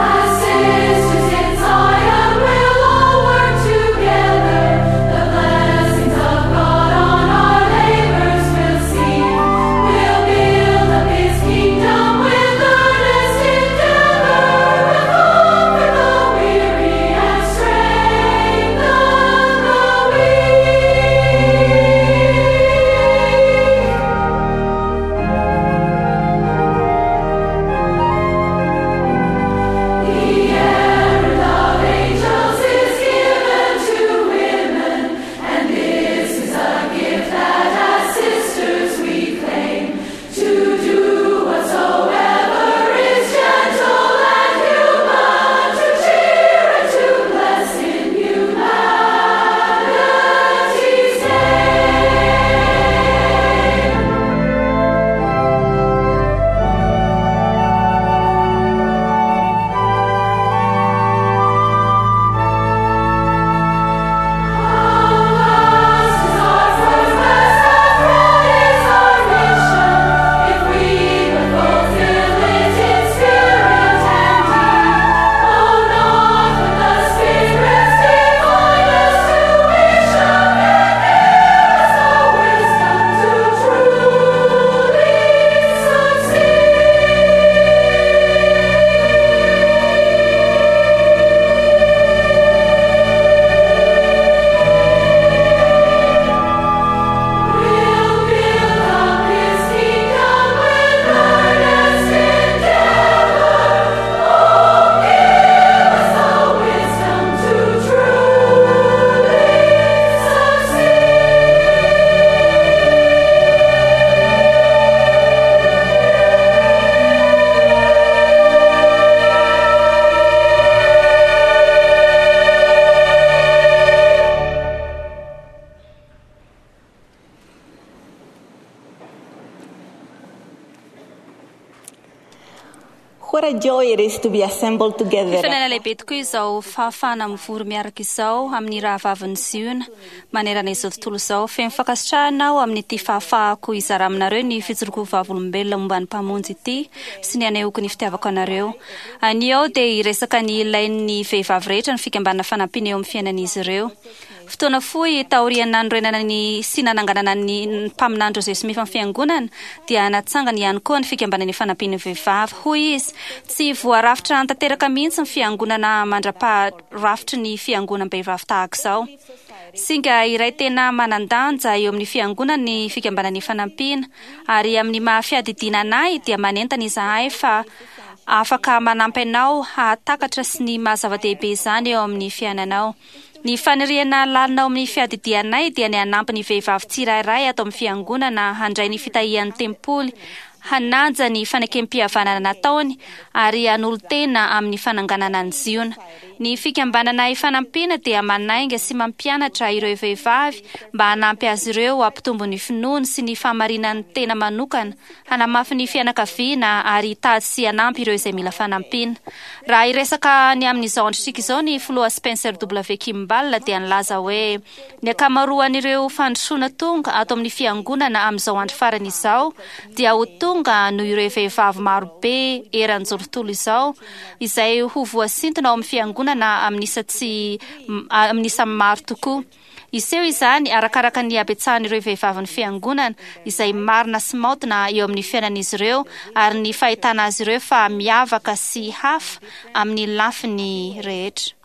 As sisters in Zion, we'll all work together. What a joy it is to be assembled together. Fiainana lehibe tokoa izao fahafahana mivory miaraka izao amin'ny rahavavin'ny Ziona manerana izao tontolo izao. Feno fankasitrahana aho amin'ity fahafahako hizara aminareo ny fijoroako vavolombelona momba ny Mpamonjy ity sy ny hanehoako ny fitiavako anareo. Anio aho dia hiresaka ny ilain'ny vehivavy rehetra ny fikambanana fanampiana eo amin'ny fiainan'izy ireo. Fotoana fohy taorian'ny nanorenana ny sy nananganana ny mpaminany Joseph Smith amin'ny fiangonana dia natsangany ihany koa ny fikambanana ifanampian'ny vehivavy. Hoy izy, tsy voarafitra tanteraka mihitsy ny fiangonana mandra-paharafitry ny fiangonam-behivavy tahaka izao. Singa iray tena manan-danja eo amin'ny fiangonana ny fikambanana ifanampiana, ary amin'ny maha fiadidiana anay dia manentana izahay fa afaka manampy anao hahatakatra sy ny maha zava-dehibe izany eo amin'ny fiainanao. Ny faniriana lalina ao amin'ny fiadidianay dia ny hanampy ny vehivavy tsirairay ato amin'ny fiangonana handray ny fitahian'ny tempoly, hanaja ny fanekem-pihavanana nataony, ary hanolo-tena amin'ny fananganana an'i Ziona. Ny fikambanana Ifanampiana dia manainga sy mampianatra ireo vehivavy mba hanampy azy ireo hampitombo ny finoany sy ny fahamarinan'ny tena manokana, hanamafy ny fianakaviana ary hitady sy hanampy ireo izay mila fanampiana. Raha hiresaka ny amin'izao androntsika izao ny filoha Spencer W. Kimball dia nilaza hoe, Ny ankamaroan'ireo fandrosoana tonga ato amin'ny Fiangonana amin'izao andro farany izao dia ho tonga noho ireo vehivavy marobe eran'izao tontolo izao izay ho voasintona ao amin'ny Fiangonana amin'ny isa tsy amin'ny isa maro tokoa. Hiseho izany arakaraka ny habetsahan'ireo vehivavin'ny Fiangonana izay marina sy maotina eo amin'ny fiainan'izy ireo ary ny fahitana azy ireo fa miavaka sy hafa amin'ny lafiny rehetra.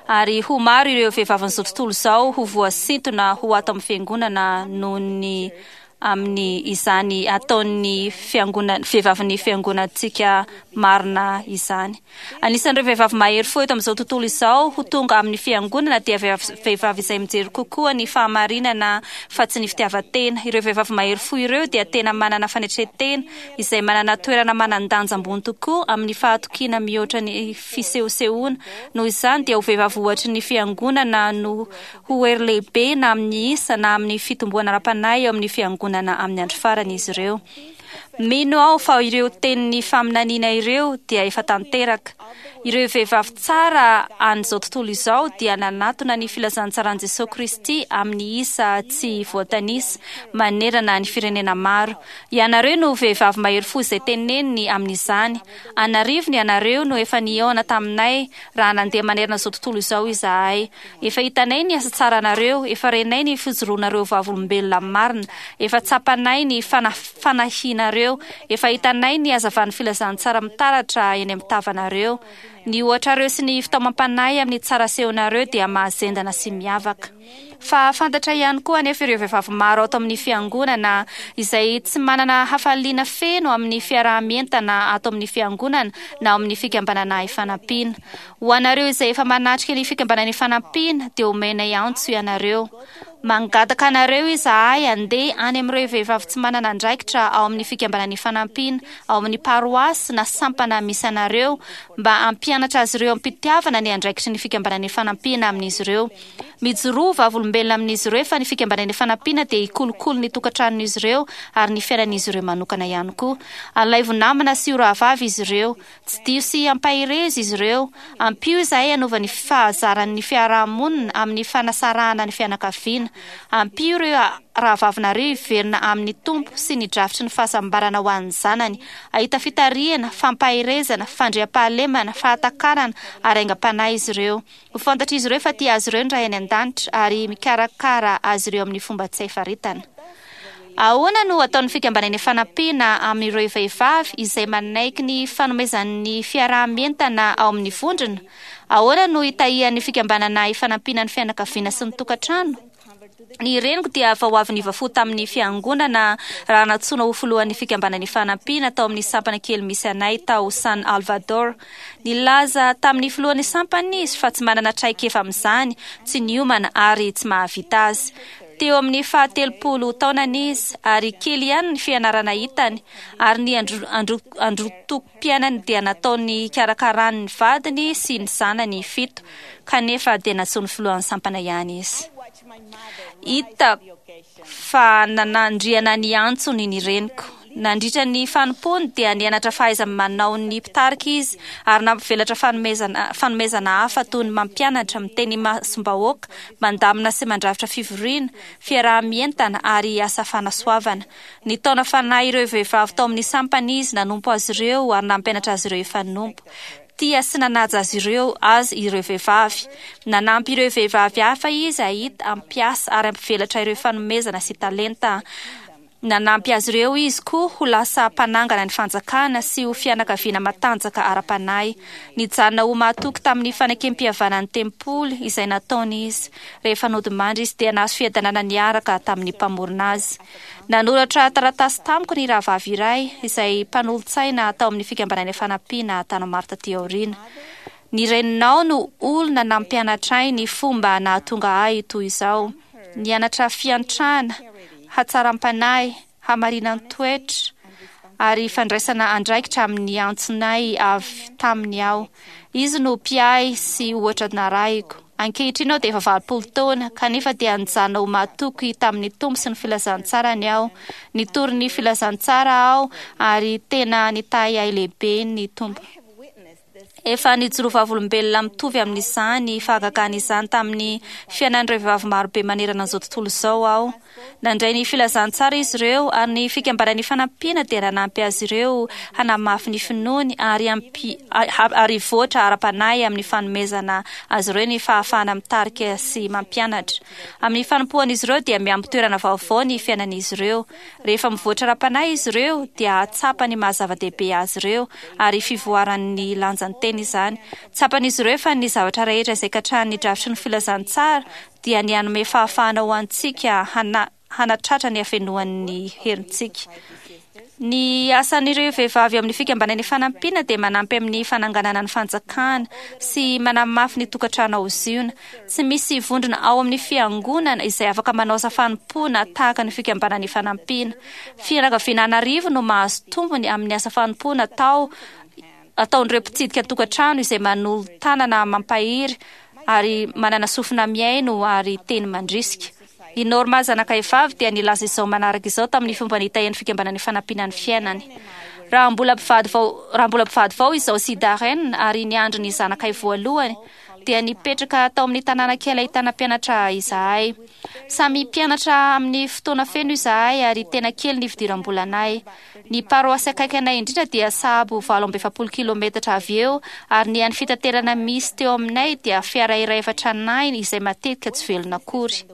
Ary ho maro ireo vehivavin'izao tontolo izao ho voasintona ho ato amin'ny Fiangonana noho ny amin'ny izany ataon'ny fiangonana vehivavin'ny fiangonantsika marina izany. Anisan'ireo vehivavy mahery fo eto amin'izao tontolo izao ho tonga amin'ny fiangonana dia vehivavy izay mijery kokoa ny fahamarinana fa tsy ny fitiavan-tena. Ireo vehivavy mahery fo ireo dia tena manana fanetren-tena izay manana toerana manan-danja ambony tokoa amin'ny fahatokiana mihoatra ny fisehosehoana. Noho izany dia ho vehivavy ohatry ny fiangonana no Ho hery lehibe na amin'ny isa na amin'ny fitomboana ara-panahy eo amin'ny Fiangonana amin'ny andro farany izy ireo. Mino aho fa ireo tenin'ny faminaniana ireo dia efa tanteraka. Ireo vehivavy tsara an'izao tontolo izao dia nanatona ny filazantsaran'i Jesoa Kristy amin'ny isa tsy voatanisa manerana ny firenena maro. Ianareo no vehivavy mahery fo izay teneniny amin'izany. An'arivony ianareo no efa nihaona taminay raha nandeha manerana izao tontolo izao izahay. Efa hitanay ny asa tsaranareo, efa renay ny fijoroanareo vavolombelona marina, efa tsapanay ny fanahianareo, efa hitanay ny hazavan'ny filazantsara mitaratra eny amin'ny tavanareo. Ny ohatrareo sy ny fitaomam-panahy amin'ny tsara asehonareo dia mahazendana sy miavaka. Fa fantatra ihany koa anefa ireo vehivavy maro ato amin'ny Fiangonana izay tsy manana hafaliana feno amin'ny fiaraha-mientana ato amin'ny Fiangonana na ao amin'ny Fikambanana Ifanampiana. Ho anareo izay efa manatrika ny Fikambanana Ifanampiana dia omenay antso ianareo. Mangataka anareo izahay handeha any amin'ireo vehivavy tsy manana andraikitra ao amin'ny Fikambanana Ifanampiana ao amin'ny paroasy na sampana misy anareo mba hampianatra azy ireo am-pitiavana ny andraikitry ny Fikambanana Ifanampiana amin'izy ireo. Mijoroa ho vavolombelona amin'izy ireo fa ny Fikambanana Ifanampiana dia hikolokolo ny tokantranon'izy ireo ary ny fiainan'izy ireo manokana ihany koa. Alaivo namana sy ho rahavavy izy ireo. Tsidiho sy ampaherezo izy ireo. Ampio izahay hanova ny fahazaran'ny fiaraha-monina amin'ny fanasarahana ny fianakaviana. Ampio ireo rahavavinareo hiverina amin'ny Tompo sy ny drafitry ny fahasambarana ho an'ny zanany. Hahita fitarihana, fampaherezana, fandriampahalemana, fahatakarana ary aingam-panahy izy ireo. Ho fantatr'izy ireo fa tia azy ireo ny Ray any An-danitra ary mikarakara azy ireo amin'ny fomba tsy hay faritana. Ahoana no ataon'ny Fikambanana Ifanampiana amin'ireo vehivavy izay manaiky ny fanomezan'ny fiaraha-mientana ao amin'ny vondrona? Ahoana no itahian'ny Fikambanana Ifanampiana ny fianakaviana sy ny tokantrano? Ny reniko dia vao avy niova fo tamin'ny Fiangonana raha nantsoina ho filohan'ny Fikambanana Ifanampiana tao amin'ny sampana kely misy anay tao San Alvador. Nilaza tamin'ny filohan'ny sampana izy fa tsy manana traikefa amin'izany, tsy niomana ary tsy mahavita azy. Teo amin'ny fahatelopolo taonany izy ary kely ihany ny fianarana hitany ary ny androtokom-piainany dia nataony hikarakarany ny vadiny sy ny zanany fito, kanefa dia nantsoin'ny filohan'ny sampana ihany izy. Hita fa nanandriana ny antsony ny reniko. Nandritra ny fanompoany dia nianatra fahaiza-manao ny mpitarika izy ary nampivelatra fanomezana fanomezana hafa toy ny mampianatra, miteny imasom-bahoaka, mandamina sy mandrafitra fivoriana, fiaraha-mientana ary asa fanasoavana. Nitaona fanahy ireo vehivavy tao amin'ny sampana izy, nanompo azy ireo ary nampianatra azy ireo hifanompo. Tia sy nanaja azy ireo azy ireo vehivavy. Nanampy ireo vehivavy hafa izy hahita, hampiasa ary hampivelatra ireo fanomezana sy talenta. Nanampy azy ireo izy koa ho lasa mpanangana ny fanjakana sy ho fianakaviana matanjaka ara-panahy. Nijanona ho mahatoky tamin'ny fanekempihavanan'ny tempoly izay nataony izy. Rehefa nodimandry izy dia nahazo fiadanana niaraka tamin'ny Mpamorona azy. Nanoratra taratasy tamiko ny rahavavy iray izay mpanolotsaina tao amin'ny Fikambanana Ifanampiana tany maro taty aoriana. Ny reninao no olona nampianatra ahy ny fomba nahatonga ahy toy izao. Nianatra fiantrana, hatsaram-panahy, hamarinan-toetra, ary fandraisana andraikitra amin'ny antsonay avy taminy aho. Izy no mpiahy sy ohatra narahiko. Ankehitriny aho dia efa 80 taona, kanefa dia nijanona ho mahatoky tamin'ny Tompo sy ny filazantsarany aho. Nitory ny filazantsara aho ary tena nitahy ahy lehibe ny Tompo. Efa nijoro vavolombelona mitovy amin'izany fahagagana izany tamin'ny fiainan'ireo vehivavy marobe manerana an'izao tontolo izao aho. Nandray ny filazantsara izy ireo ary ny Fikambanana Ifanampiana dia nanampy azy ireo hanamafy ny finoany ary ary hivoatra ara-panahy amin'ny fanomezana azy ireo ny fahafahana mitarika sy mampianatra. Amin'ny fanompoan'izy ireo dia miampy toerana vaovao ny fiainan'izy ireo. Rehefa mivoatra ara-panahy izy ireo dia hahatsapa ny maha-zava-dehibe azy ireo ary fivoaran'ny lanjan'ny tena izany. Tsapan'izy ireo fa ny zavatra rehetra izay katrahan'ny drafitry ny filazantsara dia ny hanome fahafahana ho antsika hanatratra ny hafenoan'ny herintsika. Ny asan'ireo vehivavy ao amin'ny Fikambanana Ifanampiana dia manampy amin'ny fananganana ny fanjakana sy manamafy ny tokantrano ao Ziona. Tsy misy vondrona ao amin'ny Fiangonana izay afaka manao asa fanompoana tahaka ny Fikambanana Ifanampiana. Fianakaviana an'arivo no mahazo tombony amin'ny asa fanompoana atao ataon'ireo mpitsidika tokantrano izay manolo-tanana mampahery ary manana sofina mihaino ary teny mandrisika. I Norma zanakay vavy dia nilaza izao manaraka izao tamin'ny fomba nitahian'ny Fikambanana Ifanampiana ny fiainany. Raha mbola mpivady vao raha mbola mpivady vao izaho sy Darren ary niandry ny zanakay voalohany dia nipetraka tao amin'ny tanàna kely ahitana mpianatra izahay. Samy mpianatra amin'ny fotoana feno izahay ary tena kely ny fidiram-bolanay. Ny paroasy akaiky anay indrindra dia sahabo 48 kilometatra avy eo ary ny hany fitaterana misy teo aminay dia fiara iray efa tranainy izay matetika tsy velona akory.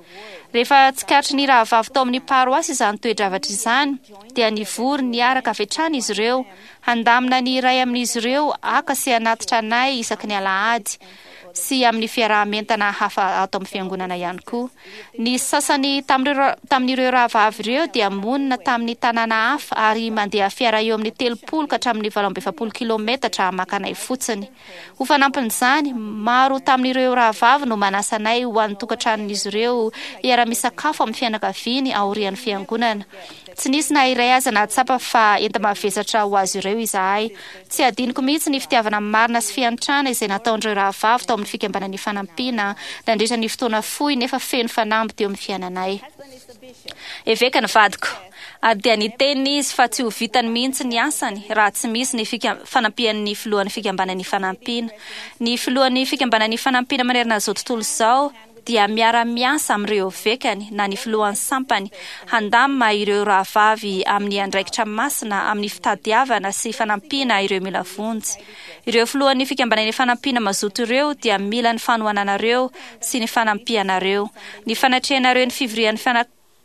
Rehefa tsikaritry ny rahavavy tao amin'ny paroasy izany toe-javatra izany dia nivory niaraka avy hatrany izy ireo handamina ny iray amin'izy ireo haka sy hanatitra anay isaky ny alahady sy amin'ny fiaraha-mientana hafa ato amin'ny fiangonana ihany koa. Ny sasany tamin'ireo rahavavy ireo dia monina tamin'ny tanàna hafa ary mandeha fiara eo amin'ny 30 ka hatramin'ny 48 kilometatra maka anay fotsiny. Ho fanampin'izany, maro tamin'ireo rahavavy no manasa anay ho an'ny tokantranon'izy ireo hiara-misakafo amin'ny fianakaviany aorian'ny fiangonana. Tsy nisy na iray aza nahatsapa fa enta-mavesatra ho azy ireo izahay. Tsy hadinoko mihitsy ny fitiavana marina sy fiantrana izay nataon'ireo rahavavy tao amin'ny Fikambanana Ifanampiana nandritra ny fotoana fohy nefa feno fanamby teo amin'ny fiainanay. Eveka ny vadiko, ary dia niteny izy fa tsy ho vitany mihitsy ny asany raha tsy misy ny fanampian'ny filohan'ny Fikambanana Ifanampiana. Ny filohan'ny Fikambanana Ifanampiana manerana izao tontolo izao dia miara-miasa amin'ireo evekany na ny filohan'ny sampany handamina ireo rahavavy amin'ny andraikitra masina amin'ny fitadiavana sy fanampiana ireo mila vonjy. Ireo filohan'ny Fikambanana Ifanampiana mazoto ireo dia mila ny fanohananareo sy ny fanampianareo. Ny fanatrehanareo ny fivorian'ny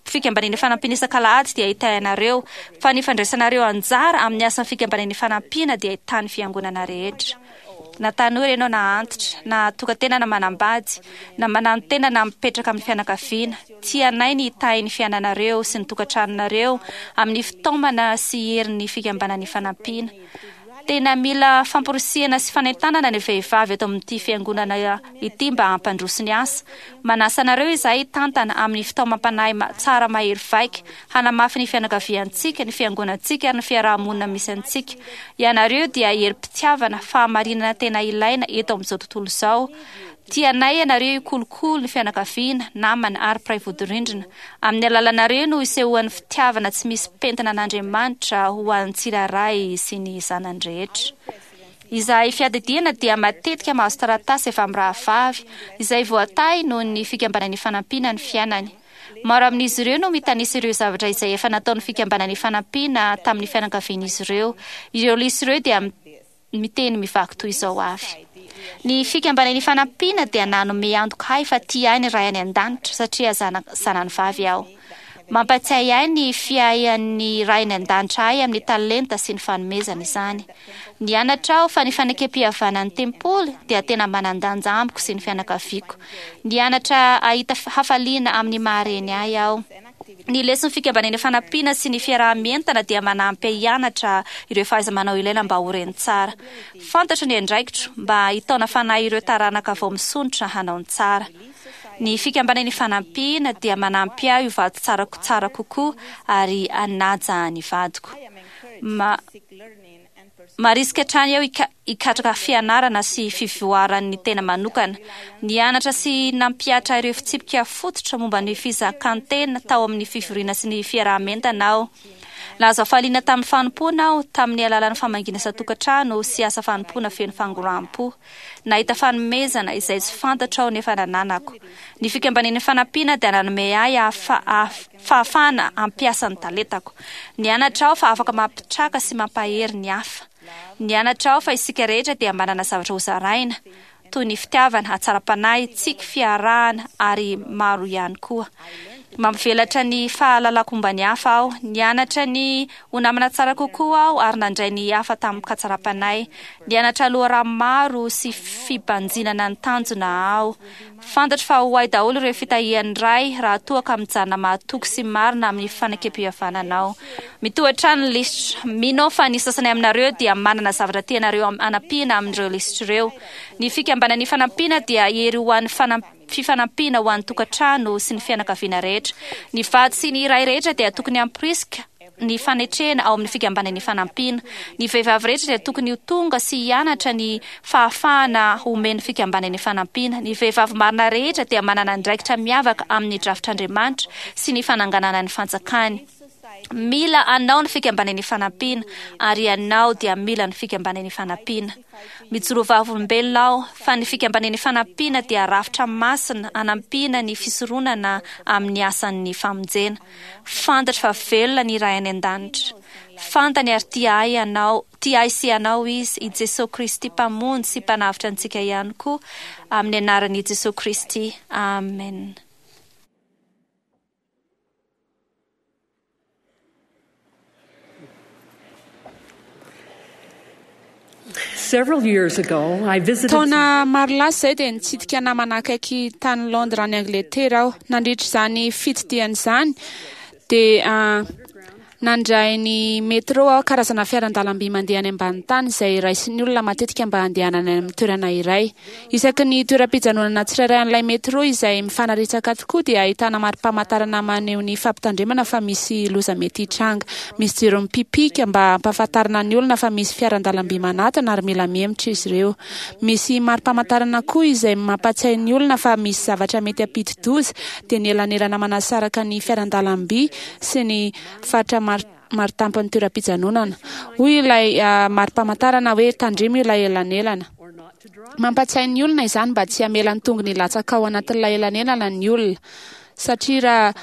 Fikambanana Ifanampiana isak'alahady dia hitahy anareo, fa ny fandraisanareo anjara amin'ny asan'ny Fikambanana Ifanampiana dia hitahy ny fiangonana rehetra. Na tanora ianao na antitra, na tokan-tena na manambady, na mananotena na mipetraka amin'ny fianakaviana, tianay ny hitahy ny fiainanareo sy ny tokantranonareo amin'ny fitaomana sy herin'ny Fikambanana Ifanampiana. Tena mila famporisihana sy fanentanana ny vehivavy eto amin'ity fiangonana ity mba hampandroso ny asa. Manasa anareo izahay hitantana amin'ny fitaomam-panahy tsara mahery vaika, hanamafy ny fianakaviantsika, ny fiangonantsika ary ny fiaraha-monina misy antsika. Ianareo dia herim-pitiavana, fahamarinana tena ilaina eto amin'izao tontolo izao. Tianay ianareo hikolokolo ny fianakaviana, namana ary mpiray vodirindrina. Amin'ny alalanareo no isehoan'ny fitiavana tsy misy pentina an'Andriamanitra ho an'ny tsirairay sy ny zanany rehetra. Izahay fiadidiana dia matetika mahazo taratasy avy amin'ny rahavavy izay voatahy noho ny Fikambanana Ifanampiana ny fiainany. Maro amin'izy ireo no mitanisa ireo zavatra izay efa nataon'ny Fikambanana Ifanampiana tamin'ny fianakavian'izy ireo. Ireo lisitra ireo dia miteny mivaky toy izao avy. Ny Fikambanana Ifanampiana dia nanome antoka ahy fa tia ahy ny Ray any An-danitra satria zanany vavy aho. Mampatsiahy ahy ny fiahian'ny Ray any An-danitra ahy amin'ny talenta sy ny fanomezana izany. Nianatra aho fa ny fanekempihavanan'ny tempoly dia tena manan-danja amiko sy ny fianakaviako. Nianatra hahita hafaliana amin'ny maha-reny ahy aho. Ny leson'ny Fikambanana Ifanampiana sy ny fiaraha-mientana dia manampy ahy hianatra ireo fahaiza-manao ilaina mba ho reny tsara. Fantatro ny andraikitro mba hitaona fanahy ireo taranaka vao misondrotra hanao ny tsara. Ny Fikambanana Ifanampiana dia manampy ahy ho vady tsara tsara kokoa ary hanaja ny vadiko. Ma Marisika hatrany aho hikatraka fianarana sy fivoaran'ny tena manokana. Nianatra sy nampihatra ireo fitsipika fototra momba ny fizakan-tena tao amin'ny fivoriana sy ny fiaraha-mientana aho. Nahazo hafaliana tamin'ny fanompoana aho tamin'ny alalan'ny famangiana isan-tokantrano sy asa fanompoana feno fangoraham-po. Nahita fanomezana izay tsy fantatro aho nefa nananako. Ny Fikambanan'ny Fanampiana dia nanome ahy fahafahana hampiasa ny talentako. Nianatra aho fa afaka mampitraka sy mampahery ny hafa. Nianatra aho fa isika rehetra dia manana zavatra hozaraina, toy ny fitiavana, hatsaram-panahy, tsiky, fiarahana, ary maro ihany koa. Mampivelatra ny fahalalako momba ny hafa aho. Nianatra ny ho namana tsara kokoa aho ary nandray ny hafa tamin-katsaram-panahy. Nianatra loharano maro sy fibanjinana ny tanjona aho. Fantatro fa ho ahy daholo ireo fitahian'ny Ray raha toa ka mijanona mahatoky sy marina amin'ny fanekempihavanana aho. Mitohy hatrany ny lisitra. Mino aho fa ny sasany aminareo dia manana zavatra tianareo hanampiana amin'ireo lisitra ireo. Ny Fikambanana Ifanampiana dia hery ho an'ny fifanampiana ho an'ny tokantrano sy ny fianakaviana rehetra. Ny vady sy ny ray rehetra dia tokony hamporisika ny fanetrena ao amin'ny Fikambanana Ifanampiana. Ny vehivavy rehetra dia tokony ho tonga sy hianatra ny fahafahana omen'ny Fikambanana Ifanampiana. Ny vehivavy marina rehetra dia manana andraikitra miavaka amin'ny drafitr'Andriamanitra sy ny fananganana ny fanjakany. Mila anao ny Fikambanana Ifanampiana, ary ianao dia mila ny Fikambanana Ifanampiana. Mijoro vavolombelona aho fa ny Fikambanana Ifanampiana dia rafitra masina hanampiana ny fisoronana amin'ny asan'ny famonjena. Fantatro fa velona ny Ray any An-danitra. Fantany ary tia ahy ianao, tia ahy sy ianao Izy, i Jesoa Kristy Mpamonjy sy Mpanavotra antsika ihany koa, amin'ny anaran'i Jesoa Kristy, amena. Several years ago, I visited Taona maro lasa izay dia nitsidika namana akaiky tany Londres any Angletera aho. Nandritra izany fitsidihana izany dia nandray ny métro aho, karazana fiaran-dalamby mandeha any ambany tany izay raisin'ny olona matetika mba handehanana any amin'ny toerana iray. Isaky ny toeram-pijanonana tsirairay an'ilay métro izay mifanaretsaka tokoa dia ahitana mari-pamantarana maneho ny fampitandremana fa misy loza mety hitranga. Misy jiro mipipika mba hampahafantarana ny olona fa misy fiaran-dalamby manatona ary mila mihemotra izy ireo. Misy mari-pamantarana koa izay mampatsiahy ny olona fa misy zavatra mety hampidi-doza, dia ny elanelana manasaraka ny fiaran-dalamby sy ny faritra marin-tampon'ny toeram-pijanonana. Hoy ilay mari-pamantarana hoe tandremo ilay elanelana. Mampatsiahy ny olona izany mba tsy hamela ny tongony hilatsaka ao anatin'ilay elanelana ny olona, satria raha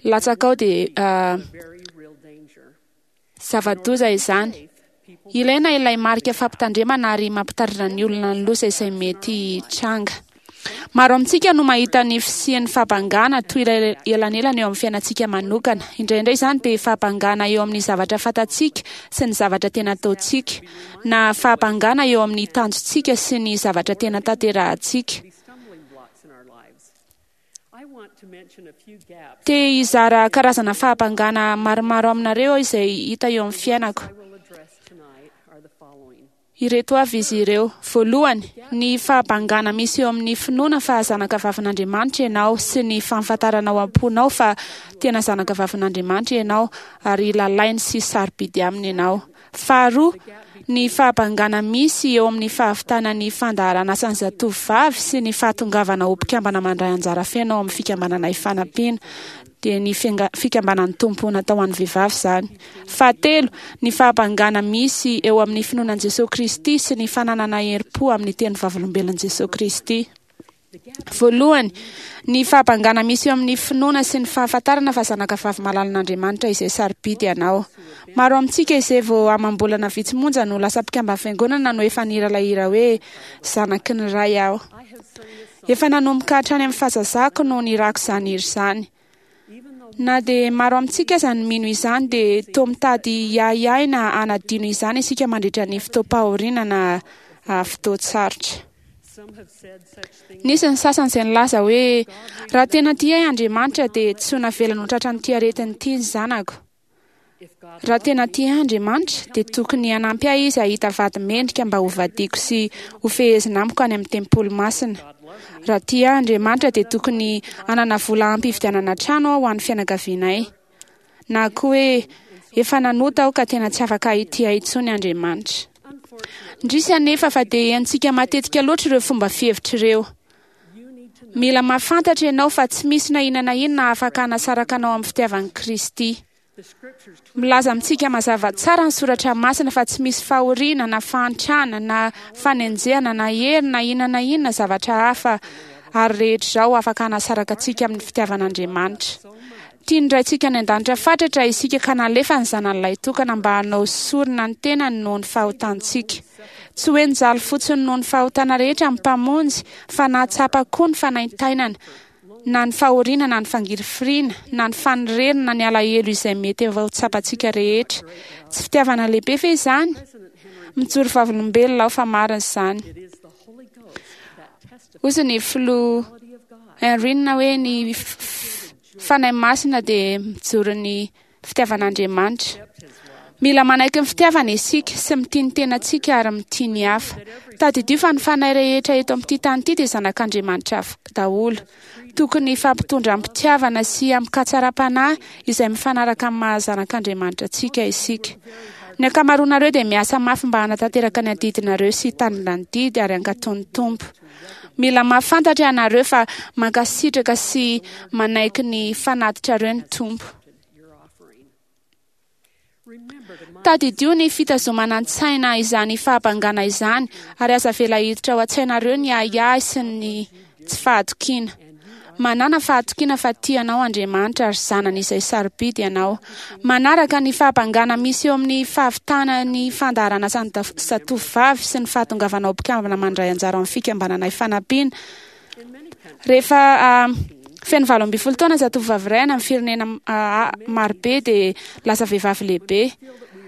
latsaka ao dia zava-doza izany. Ilaina ilay marika fampitandremana ary mampitandrina ny olona ny loza izay mety hitranga. Maro amintsika no mahita ny fisian'ny fahabangana toy ilay elanelana eo amin'ny fiainantsika manokana. Indraindray izany dia fahabangana eo amin'ny zavatra fantatsika sy ny zavatra tena ataontsika, na fahabangana eo amin'ny tanjontsika sy ny zavatra tena tanterahantsika. Te hizara karazana fahabangana maromaro aminareo aho izay hita eo amin'ny fiainako. Ireto avy izy ireo. Voalohany, ny fahabangana misy eo amin'ny finoana fa zanakavavin'Andriamanitra ianao sy ny fahafantarana ao am-ponao fa tena zanakavavin'Andriamanitra ianao ary lalainy sy sarobidy aminy ianao. Faharoa, Ny fahabangana misy eo amin'ny fahavitana ny fandaharan'asan'ny zatovovavy sy ny fahatongavana ho mpikambana mandray anjara feno ao amin'ny Fikambanana Ifanampiana, dia ny Fikambanan'ny Tompo natao ho an'ny vehivavy izany. Fahatelo, ny fahabangana misy eo amin'ny finoana an'i Jesoa Kristy sy ny fananana herim-po amin'ny teny vavolombelon'i Jesoa Kristy. Voalohany, ny fahabangana misy eo amin'ny finoana sy ny fahafantarana fa zanakavavy malalan'Andriamanitra izay sarobidy ianao. Maro amintsika izay vao amam-bolana vitsy monja no lasa mpikamban'ny Fiangonana no efa nihira ilay hira hoe Zanaky ny Ray aho. Efa nanomboka hatrany amin'ny fahazazako no nirako izany hira izany. Na dia maro amintsika aza no mino izany dia toa mitady hiahiahy na hanadino izany isika mandritra ny fotoam-pahoriana na fotoan-tsarotra. Nisy ny sasany izay nilaza hoe, Raha tena tia ahy Andriamanitra dia tsy ho navelany ho tratran'ity aretina ity ny zanako. Raha tena tia ahy Andriamanitra, dia tokony hanampy ahy Izy hahita vady mendrika mba hovadiako sy hofehezina amiko any amin'ny tempoly masina. Raha tia ahy Andriamanitra, dia tokony hanana vola ampy hividianana trano aho ho an'ny fianakavianay. Na koa hoe, Efa nanota aho ka tena tsy afaka hitia ahy intsony Andriamanitra. Indrisy anefa fa dia henontsika matetika loatra ireo fomba fihevitra ireo. Mila mahafantatra ianao fa tsy misy na inona na inona afaka hanasaraka anao amin'ny fitiavan'i Kristy. Milaza amintsika mazava tsara ny Soratra Masina fa tsy misy fahoriana na fahantrana na fanenjehana na hery na inona na inona zavatra hafa ary rehetra izao afaka hanasaraka antsika amin'ny fitiavan'Andriamanitra. Tian'ny Raintsika any An-danitra fatratra isika ka nalefa ny Zanany Lahitokana mba hanao sorona ny tenany noho ny fahotantsika. Tsy hoe nijaly fotsiny noho ny fahotana rehetra ny Mpamonjy fa nahatsapa koa ny fanaintainana, na ny fahoriana na ny fangirifiriana, na ny fanirerana na ny alahelo izay mety efa ho tsapantsika rehetra. Tsy fitiavana lehibe ve izany? Mijoro vavolombelona aho fa marina izany. Hozy ny filoha Henry hoe ny Fanahy Masina dia mijoro ny fitiavan'Andriamanitra. Mila manaiky ny fitiavana isika sy mitia ny tenantsika ary mitia ny hafa. Tadidio fa ny fanahy rehetra eto amin'ity tany ity dia zanak'Andriamanitra daholo. Tokony hifampitondra amim-pitiavana sy amin-katsaram-panahy izay mifanaraka amin'ny maha zanak'Andriamanitra antsika isika. Ny ankamaroanareo dia miasa mafy mba hanatanteraka ny adidinareo sy hitandrina ny didy ary hankatò ny Tompo. Mila mahafantatra ianareo fa mankasitraka sy manaiky ny fanatitrareo ny Tompo. Tadidio ny fitazomana an-tsaina izany fahabangana izany ary aza avela hiditra ao an-tsainareo ny ahiahy sy ny tsy fahatokiana. Manàna fahatokiana fa tia anao Andriamanitra ary zanany izay sarobidy ianao. Manaraka ny fahabangana misy eo amin'ny fahavitana ny fandaharan'asan'ny zatovovavy sy ny fahatongavana ho mpikambana mandray anjara ao amin'ny fikambanana Ifanampiana. Rehefa feno 18 taona zatovovavy iray any amin'ny firenena marobe dia lasa vehivavy lehibe.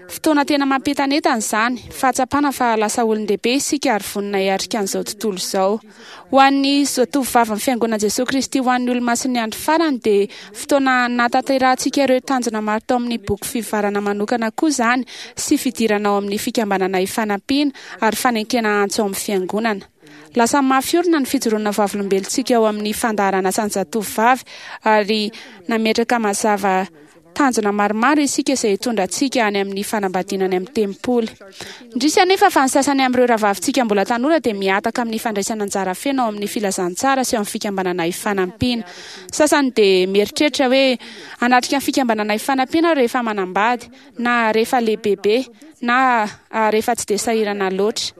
Fotoana tena mampientanentana izany, fahatsapana fa lasa olon-dehibe isika ary vonona hiatrika an'izao tontolo izao. Ho an'ny zatovovavin'ny Fiangonan'i Jesoa Kristy ho an'ny Olomasin'ny Andro Farany dia fotoana nahatanterahantsika ireo tanjona maro tao amin'ny boky fivoarana manokana koa izany sy fidirana ao amin'ny Fikambanana Ifanampiana ary fanenkena antso ao amin'ny Fiangonana. Lasa mafy orina ny fijoroana vavolombelontsika ao amin'ny fandaharan'asan'ny zatovovavy ary nametraka mazava Tanjona maromaro isika izay hitondra antsika any amin'ny fanambadiana any amin'ny tempoly. Indrisy anefa fa ny sasany amin'ireo rahavavintsika mbola tanora dia mihataka amin'ny fandraisana anjara feno ao amin'ny filazantsara sy ao amin'ny fikambanana ifanampiana. Sasany dia mieritreritra hoe, Hanatrika ny fikambanana ifanampiana aho rehefa manambady, na rehefa lehibebe, na rehefa tsy dia sahirana loatra.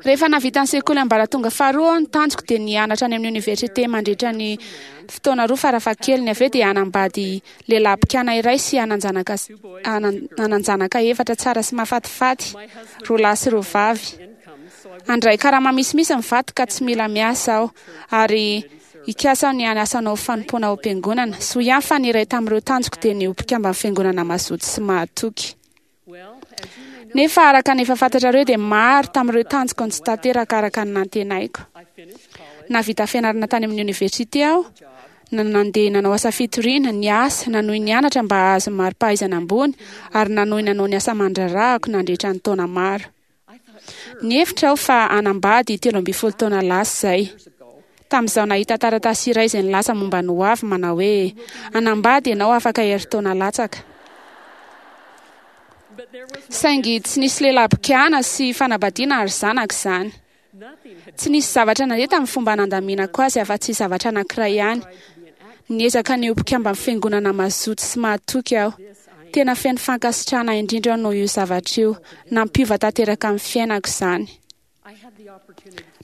Rehefa nahavita ny sekoly ambaratonga faharoa aho, ny tanjoko dia ny hianatra any amin'ny oniversite mandritra ny fotoana roa farafahakeliny. Avy eo dia hanambady lehilahy mpikana iray sy hanan-janaka hanan-janaka efatra tsara sy mahafatifaty, roa lahy sy roa vavy. Handray karama misimisy ny vadiko ka tsy mila miasa aho, ary hikasa aho ny hanasa hanao fanompoana ao am-piangonana. Soa ihany fa ny iray tamin'ireo tanjoko dia ny ho mpikamban'ny fiangonana mazoto sy mahatoky. Nefa araka ny efa fantatrareo dia maro tamin'ireo tanjoko no tsy tanteraka araka ny nantenaiko. Nahavita fianarana tany amin'ny oniversite aho, na nandeha nanao asa fitoriana, niasa, nanohy nianatra mba hahazo mari-pahaizana ambony, ary nanohy nanao ny asa aman-draharahako nandritra ny taona maro. Nihevitra aho fa hanambady 13 taona lasa izay. Tamin'izaho nahita taratasy iray izay nilaza momba ny hoavy manao hoe, Hanambady ianao afaka herintaona latsaka. Saingy tsy nisy lehilahy mpikana sy fanambadiana ary zanaka izany. Tsy nisy zavatra nandeha tamin'ny fomba nandaminako azy afa-tsy zavatra anankiray ihany. Niezaka ny ho mpikamban'ny fiangonana mazoto sy mahatoky aho. Tena feno fankasitrahana indrindra aho noho io zavatra io. Nampiova tanteraka ny fiainako izany.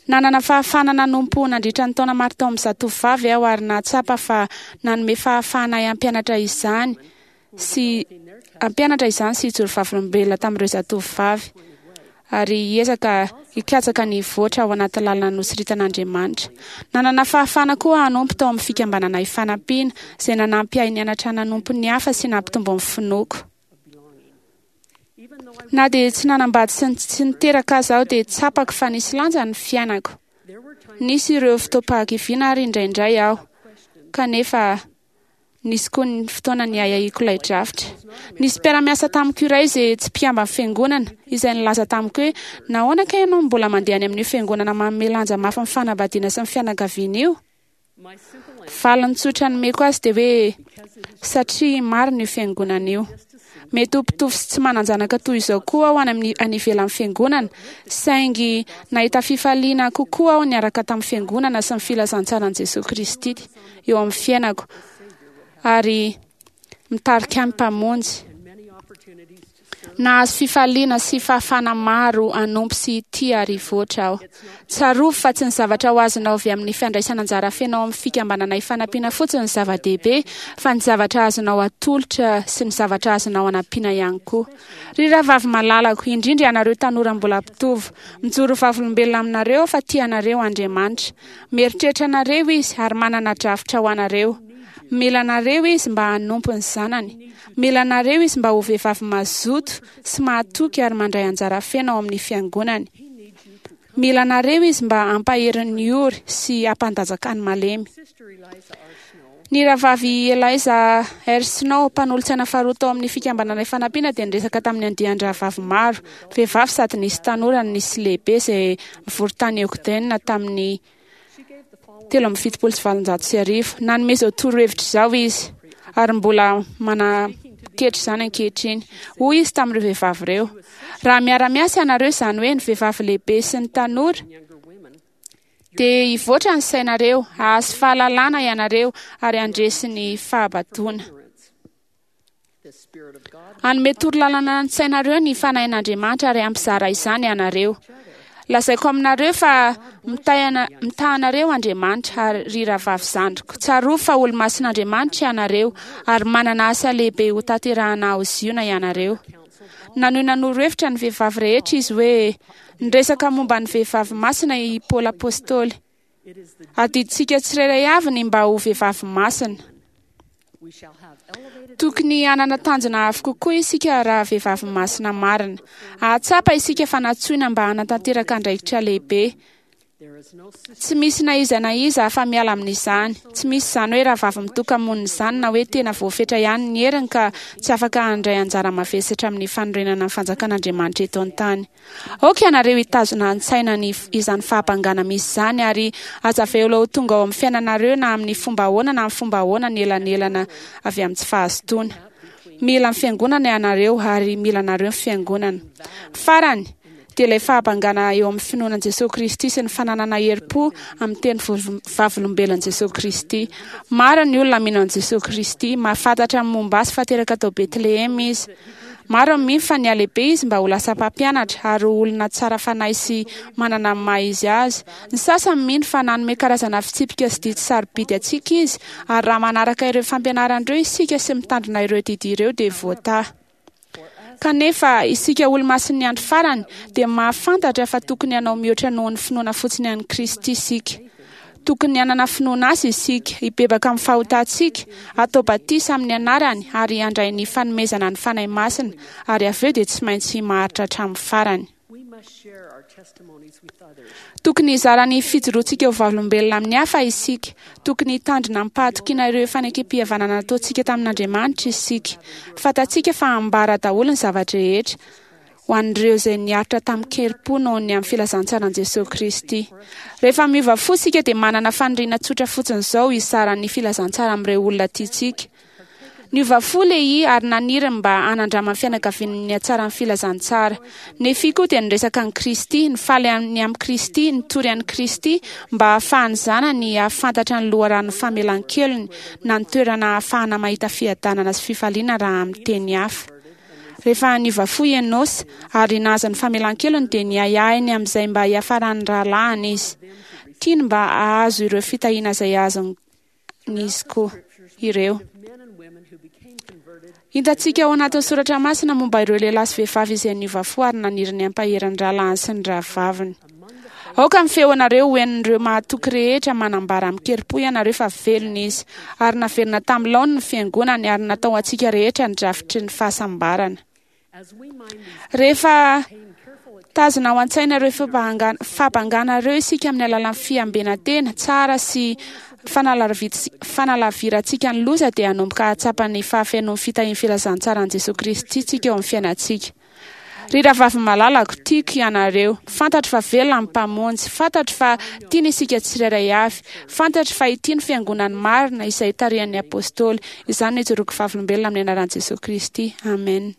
Nanana fahafahana nanompo nandritra ny taona maro tao amin'ny zatovovavy aho ary nahatsapa fa nanome fahafahana ahy hampianatra izany sy hampianatra izany sy hijoro vavolombelona tamin'ireo zatovovavy ary hiezaka hikatsaka ny hivoatra ao anaty lalana nosoritan'Andriamanitra. Nanana fahafahana koa hanompo tao amin'ny fikambanana Ifanampiana, izay nanampy ahy nianatra nanompo ny hafa sy nampitombo ny finoako. Na dia tsy nanambady sy tsy niteraka aza aho dia tsapako fa nisy lanja ny fiainako. Nisy ireo fotoam-pahakiviana ary indraindray aho, kanefa nisy koa ny fotoana niahiahiako ilay drafitra. Nisy mpiara-miasa tamiko iray izay tsy mpikamban'ny fiangonana, izay nilaza tamiko hoe, Nahoana kay ianao no mbola mandeha any amin'io fiangonana manome lanja mafy ny fanambadiana sy ny fianakaviana io? Valiny tsotra nomeko azy dia hoe, Satria marina io fiangonana io. Mety ho mpitovo sy tsy manan-janaka toy izao koa aho any amin'ny any ivelan'ny fiangonana, saingy nahita fifaliana kokoa aho niaraka tamin'ny fiangonana sy ny filazantsaran'i Jesoa Kristy eo amin'ny fiainako ary mitarika ahy ny Mpamonjy. Nahazo fifaliana sy fahafahana maro hanompo sy hitia ary hivoatra aho. Tsarovy fa tsy ny zavatra ho azonao avy amin'ny fandraisana anjara feno ao amin'ny fikambanana ifanampiana fotsiny no zava-dehibe, fa ny zavatra azonao atolotra sy ny zavatra azonao anampiana ihany koa. Ry rahavavy malalako, indrindra ianareo tanora mbola mpitovo, mijoro ho vavolombelona aminareo aho fa tia anareo Andriamanitra. Mieritreritra anareo Izy ary manana drafitra ho anareo. Mila anareo Izy mba hanompo ny Zanany. Mila anareo Izy mba ho vehivavy mazoto sy mahatoky ary mandray anjara feno ao amin'ny Fiangonany. Mila anareo Izy mba hampahery ny ory sy hampandanjaka ny malemy. Ny Rahavavy Eliza R. Snow, mpanolotsaina faharoa tao amin'ny Fikambanana Ifanampiana dia niresaka tamin'ny andian-drahavavy maro, vehivavy sady nisy tanora no nisy lehibe izay nivory tany Ogden tamin'ny 1873. Nanome izao torohevitra izao izy, ary mbola manaketry izany ankehitriny. Hoy izy tamin'ireo vehivavy ireo, Raha miara-miasa ianareo, izany hoe ny vehivavy lehibe sy ny tanora, dia hivoatra ny sainareo, hahazo fahalalana ianareo, ary handresy ny fahabadoana. Hanome torolalana ny sainareo ny Fanahin'Andriamanitra ary hampizara izany ianareo. Lazaiko aminareo fa mitaha anareo Andriamanitra, ary ry rahavavy zandriko, tsarovy fa olo-masin'Andriamanitra ianareo ary manana asa lehibe hotanterahana ao Ziona ianareo. Nanohy nanoro hevitra ny vehivavy rehetra izy hoe, Niresaka momba ny vehivavy masina i Paoly Apostoly. Adidintsika tsirairay avy ny mba ho vehivavy masina. Tokony hanana tanjona avo kokoa isika raha vehivavy masina marina. Hahatsapa isika fa nantsoina mba hanatanteraka andraikitra lehibe. Tsy misy na iza na iza afa-miala amin'izany. Tsy misy izany hoe rahavavy mitoka-monina izany na hoe tena voafetra ihany ny heriny ka tsy afaka handray anjara mavesatra amin'ny fanorenana ny fanjakan'Andriamanitra eto an-tany. Aoka ianareo hitazona an-tsaina ny izany fahabangana misy izany ary aza avela ho tonga ao amin'ny fiainanareo na amin'ny fomba ahoana na amin'ny fomba ahoana ny elanelana avy amin'ny tsy fahazotoana. Mila ny Fiangonana ianareo ary mila anareo ny Fiangonana. Farany, dia ilay fahabangana eo amin'ny finoana an'i Jesoa Kristy sy ny fananana herim-po amin'ny teny vavolombelon'i Jesoa Kristy. Maro ny olona mino an'i Jesoa Kristy, mahafantatra ny momba Azy fa teraka tao Betlehema Izy. Maro ny mino fa nihalehibe izy mba ho lasa mpampianatra ary ho olona tsara fanahy sy manana ny maha izy azy. Ny sasany mino fa nanome karazana fitsipika sy didy sarobidy antsika izy, ary raha manaraka ireo fampianarana ireo isika sy mitandrina ireo didy ireo dia voatahy. Kanefa, isika Olomasin'ny Andro Farany dia mahafantatra fa tokony hanao mihoatra noho ny finoana fotsiny an'i Kristy isika. Tokony hanana finoana Azy isika, hibebaka amin'ny fahotantsika, hatao batisa amin'ny anarany ary handray ny fanomezana ny Fanahy Masina, ary avy eo dia tsy maintsy maharitra hatramin'ny farany. Tokony hizara ny fijoroantsika ho vavolombelona amin'ny hafa isika. Tokony hitandrina amim-pahatokiana ireo fanekempihavanana nataontsika tamin'Andriamanitra isika. Fantatsika fa hambara daholo ny zava-drehetra ho an'ireo izay niaritra tamin-kerim-po noho ny amin'ny filazantsaran'i Jesoa Kristy. Rehefa miova fo isika dia manana faniriana tsotra fotsiny izao hizara ny filazantsara amin'ireo olona tiantsika. Niova fo Lehia ary naniry ny mba hanandraman'ny fianakaviany ny hatsaran'ny filazantsara. Nefia koa dia niresaka an'i Kristy, nifaly ny amin'i Kristy, nitory an'i Kristy mba hahafahan'ny zanany hahafantatra ny loharanon'ny famelan-kelony na ny toerana hahafahana mahita fiadanana sy fifaliana raha amin'ny teny hafa. Rehefa niova fo i Enôsa ary nahazo ny famelan-kelony dia niahiahy ny amin'izay mba hiafaran'ny rahalahiny izy. Tiany mba hahazo ireo fitahiana izay azony izy koa ireo. Hitantsika ao anatin'ny soratra masina momba ireo lehilahy sy vehivavy izay niova fo ary naniry ny hampahery ny rahalahiny sy ny rahavaviny. Aoka ny feonareo ho henon'ireo mahatoky rehetra manambara amin-kerim-po ianareo fa velona izy, ary naverina tamin'ny laoniny ny fiangonany ary natao ho antsika rehetra ny drafitry ny fahasambarana. Rehefa tazona ao an-tsaina ireo fahabangana ireo isika amin'ny alalan'ny fiambenan-tena tsara sy fanalavirantsika ny loza dia hanomboka hahatsapa ny fahafenoan'ny fitahian'ny filazantsaran'i Jesoa Kristy isika eo amin'ny fiainantsika. Ry rahavavy malalako, tiako ianareo. Fantatro fa velona ny Mpamonjy. Fantatro fa tiany isika tsirairay avy. Fantatro fa ity no Fiangonany marina izay tarihan'ny Apôstôly. Izany no ijoroako vavolombelona amin'ny anaran'i Jesoa Kristy. Amen.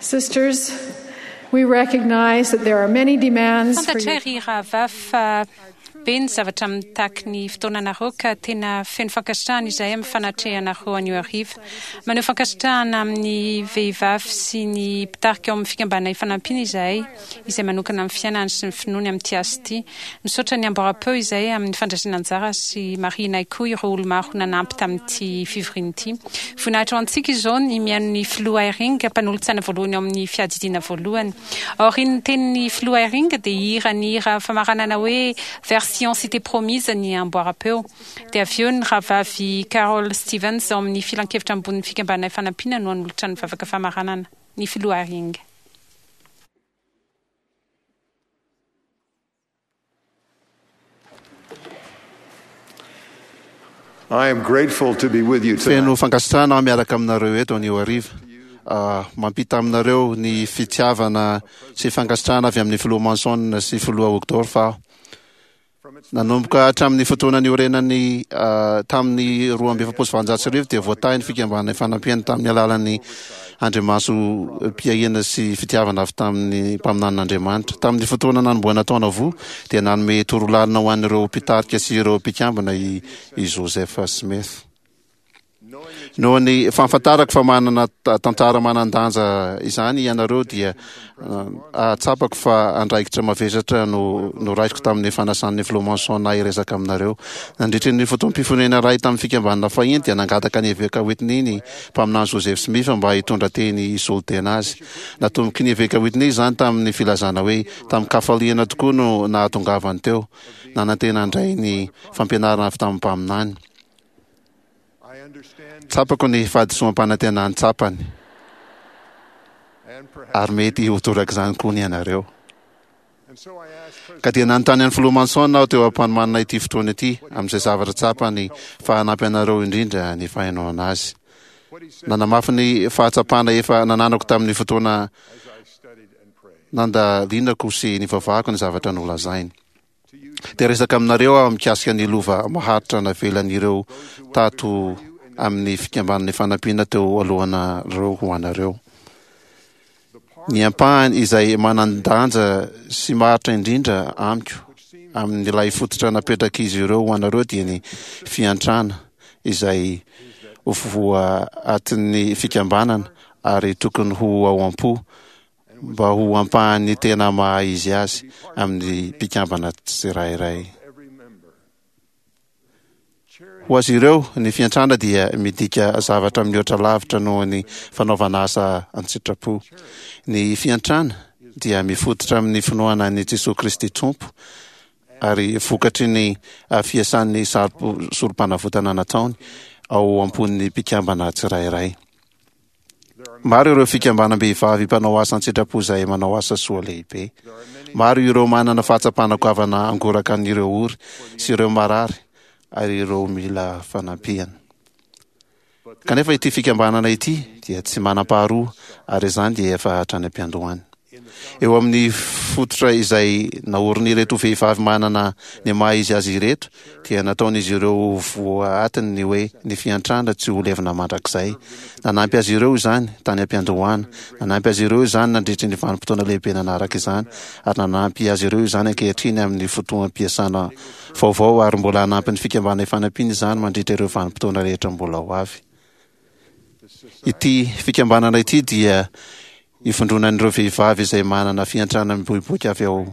Sisters, we recognize that there are many demands for Fantatray your ry rahavavy fa be ny zavatra mitaky ny fotoananareo ka tena feno fankasitrahana izahay amin'ny fanatrehanareo anio hariva. Maneho fankasitrahana amin'ny vehivavy sy ny mpitarika ao amin'ny fikambanana Ifanampiana izahay, izay manokana ny fiainany sy ny finoany amin'ity asa ity. Misaotra ny amboaram-peo izahay amin'ny fandraisana anjara sy marihinay koa ireo olo-maro nanampy tamin'ity fivoriana ity. Voninahitra ho antsika izao ny mihaino ny Filoha Eyring, mpanolotsaina voalohany ao amin'ny Fiadidiana Voalohany. Aorian'ny tenin'ny Filoha Eyring dia hihira ny hira famaranana hoe Vers Sion Cité Promise ny amboaram-peo. Dia avy eo ny Rahavavy Carol Stevens ao amin'ny Filankevitra Ambonin'ny Fikambanana Ifanampiana no hanolotra ny vavaka famaranana. Ny Filoha Eyring. I am grateful to be with you tonight. Feno fankasitrahana aho miaraka aminareo eto anio hariva. Mampita aminareo ny fitiavana sy fankasitrahana avy amin'ny Filoha Monson sy Filoha Uchtdorf aho. Nanomboka hatramin'ny fotoana niorenany tamin'ny 1842 dia voatahy ny Fikambanana Ifanampiana tamin'ny alalan'ny andrimasom-piahiana sy fitiavana avy tamin'ny mpaminanin'Andriamanitra. Tamin'ny fotoana nanombohana taona voa dia nanome torolalana ho an'ireo mpitarika sy ireo mpikambana i Joseph Smith. Noho ny fahafantarako fa manana tantara manan-danja izany ianareo dia ahatsapako fa andraikitra mavesatra no noraisiko tamin'ny fanasan'ny Filoha Monson ahy hiresaka aminareo. Nandritry ny fotoam-pifonena iray tamin'ny fikambanana fahiny dia nangataka ny Eveka Whitney ny Mpaminany Joseph Smith mba hitondra teny hisolo tena azy. Natomboky ny Eveka Whitney izany tamin'ny filazana hoe tamin-kafaliana tokoa no nahatongavany teo, nanantena handray ny fampianarana avy tamin'ny mpaminany. Tsapako ny fahadisoam-panantenany tsapany, ary mety ho torak'izany koa ny anareo. Ka dia nanontany an'i Filoha Monson aho teo am-panomanana ity fotoana ity, amin'izay zavatra tsapany fa hanampy anareo indrindra ny fahenoana azy. Nanamafy ny fahatsapana efa nananako tamin'ny fotoana nandalinako sy nivavahako ny zavatra nolazainy. Dia resaka aminareo aho mikasika ny lova maharitra navelan'ireo tato amin'ny fikambanana Ifanampiana teo alohanareo ho anareo. Ny ampahany izay manan-danja sy maharitra indrindra amiko amin'ilay fototra napetrak'izy ireo ho anareo dia ny fiantrana izay voaatin'ny fikambanana ary tokony ho ao am-po mba ho ampahan'ny tena maha izy azy amin'ny mpikambana tsirairay. Ho azy ireo, ny fiantrana dia midika zavatra mihoatra lavitra noho ny fanaovana asa an-tsitrapo. Ny fiantrana dia mifototra amin'ny finoana an'i Jesoa Kristy Tompo ary vokatry ny fiasan'ny sorompanavotana nataony ao am-pon'ny mpikambana tsirairay. Maro ireo fikambanam-behivavy mpanao asa an-tsitrapo izay manao asa soa lehibe. Maro ireo manana fahatsapana goavana hangoraka an'ireo ory sy ireo marary ary ireo mila fanampiana. Kanefa ity fikambanana ity dia tsy manam-paharoa ary izany dia efa hatrany am-piandohany. Eo amin'ny fototra izay naorin'ireto vehivavy manana ny maha izy azy ireto dia nataon'izy ireo ho voaatiny ny hoe ny fiantrana tsy ho levona mandrakizay. Nanampy azy ireo izany tany am-piandohana, nanampy azy ireo izany nandritry ny vanim-potoana lehibe nanaraka izany, ary nanampy azy ireo izany ankehitriny amin'ny fotoam-piasana vaovao ary mbola hanampy ny Fikambanana Ifanampiana izany mandritra ireo vanim-potoana rehetra mbola ho avy. Ity fikambanana ity dia ivondronan'ireo vehivavy izay manana fiantrana miboiboika avy ao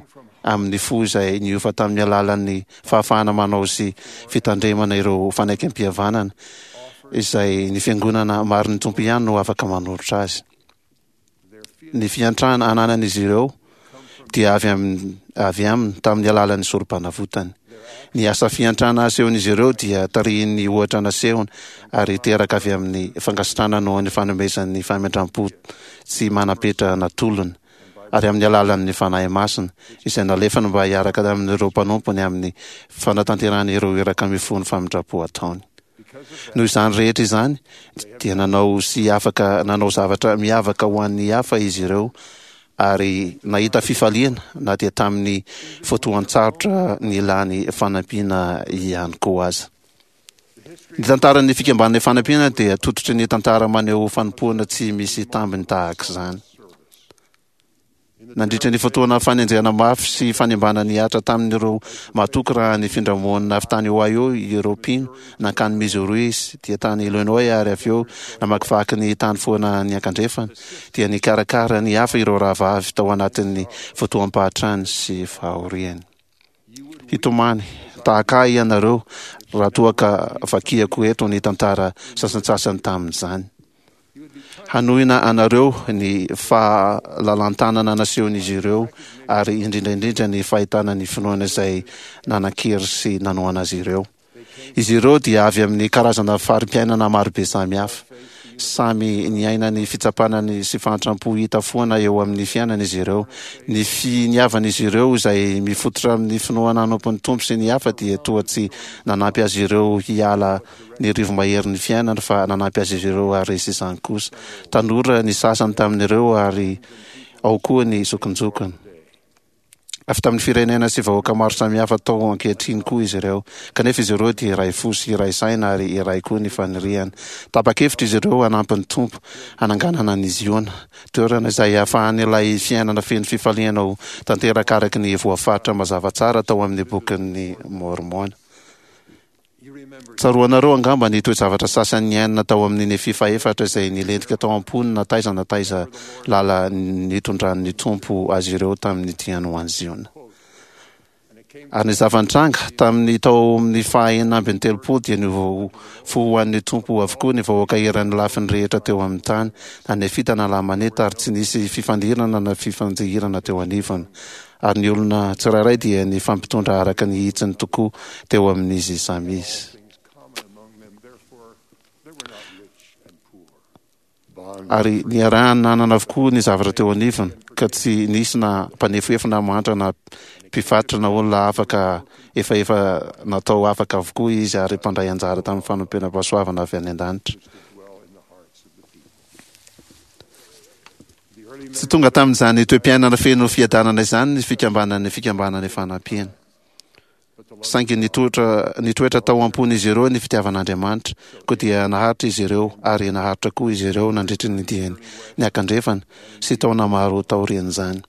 amin'ny fo izay niova tamin'ny alalan'ny fahafahana manao sy fitandremana ireo fanekempihavanana izay ny Fiangonana marin'ny Tompo ihany no afaka manolotra azy. Ny fiantrana ananan'izy ireo dia avy amin'ny avy aminy tamin'ny alalan'ny sorom-panavotany. Ny asa fiantrana asehon'izy ireo dia tarihin'ny ohatra nasehony ary teraka avy amin'ny fankasitrahana noho ny fanomezan'ny famindram-po tsy manam-petra natolony ary amin'ny alalan'ny Fanahy Masina izay nalefany mba hiaraka amin'ireo mpanompony amin'ny fanatanterahana ireo iraka mifono famindram-po ataony. Noho izany rehetra izany, dia nanao sy afaka nanao zavatra miavaka ho an'ny hafa izy ireo ary nahita fifaliana na dia tamin'ny fotoan-tsarotra nilany fanampiana ihany koa aza. Ny tantaran'ny Fikambanana Ifanampiana dia tototry ny tantara maneho fanompoana tsy misy tambiny tahaka izany. Nandritra ny fotoana fanenjehana mafy sy fanimbana nihatra tamin'ireo matoky raha nifindra monina avy tany Ohio ireo mpino nankany Missouri dia tany Illinois ary avy eo namakivaky ny tany foana niankandrefana, dia nikarakara ny hafa ireo rahavavy tao anatin'ny fotoam-pahatrany sy fahoriany. Hitomany tahaka ahy ianareo raha toa ka vakiako eto ny tantara sasantsasany tamin'izany. Hanohina anareo ny fahalalan-tanana nasehon'izy ireo ary indrindra indrindra ny fahitana ny finoana izay nanan-kery sy nanohana azy ireo. Izy ireo dia avy amin'ny karazana fari-piainana marobe samihafa. Samy niaina ny fitsapana ny sy fahantram-po hita foana eo amin'ny fiainana izy ireo. Ny finiavan'izy ireo izay mifototra amin'ny finoana hanompo ny Tompo sy ny hafa dia toa tsy nanampy azy ireo hiala ny rivo-maherin'ny fiainana fa nanampy azy ireo haharesy izany kosa. Tanora ny sasany tamin'ireo ary ao koa ny zokinjokiny. Avy tamin'ny firenena sy vahoaka maro samihafa tao ankehitriny koa izy ireo. Kanefa izy ireo dia iray fo sy iray saina ary iray koa ny faniriany. Tapa-kevitra izy ireo hanampy ny Tompo hananganana an'i Ziona, toerana izay hahafahan'ilay fiainana feno fifaliana ho tanteraka araka ny voafaritra mazava tsara tao amin'ny Bokin'i Môrmôna. Tsaroanareo angamba ny toe-javatra sasany niainana tao amin'ny Nefia fahefatra izay nilentika tao am-pony na taiza na taiza lala nitondran'ny Tompo azy ireo tamin'ny diany ho any Ziona. Ary ny zava-nitranga, tamin'ny tao amin'ny faha 36 dia niova fo ho an'ny Tompo avokoa ny vahoaka eran'ny lafiny rehetra teo amin'ny tany, na Nefita na Lamanita, ary tsy nisy fifandirana na fifanjihirana teo anivony. Ary ny olona tsirairay dia nifampitondra araka ny hitsiny tokoa teo amin'izy samy izy. Ary niarahany nanana avokoa ny zavatra teo anivony, ka tsy nisy na mpanefoefo na mahantra na mpivarotra na olona afaka efa efa natao afaka avokoa izy ary mpandray anjara tamin'ny fanompenam-pahasoavana avy any an-danitra. Tsy tonga tamin'izany toe-piainana feno fiadanana izany ny fikambanan'ny Fikambanana Ifanampiana. Saingy nitoetra, nitoetra tao am-pon'izy ireo ny fitiavan'Andriamanitra, koa dia naharitra izy ireo, ary naharitra koa izy ireo nandritry ny diany niakandrefana sy taona maro taorian'izany.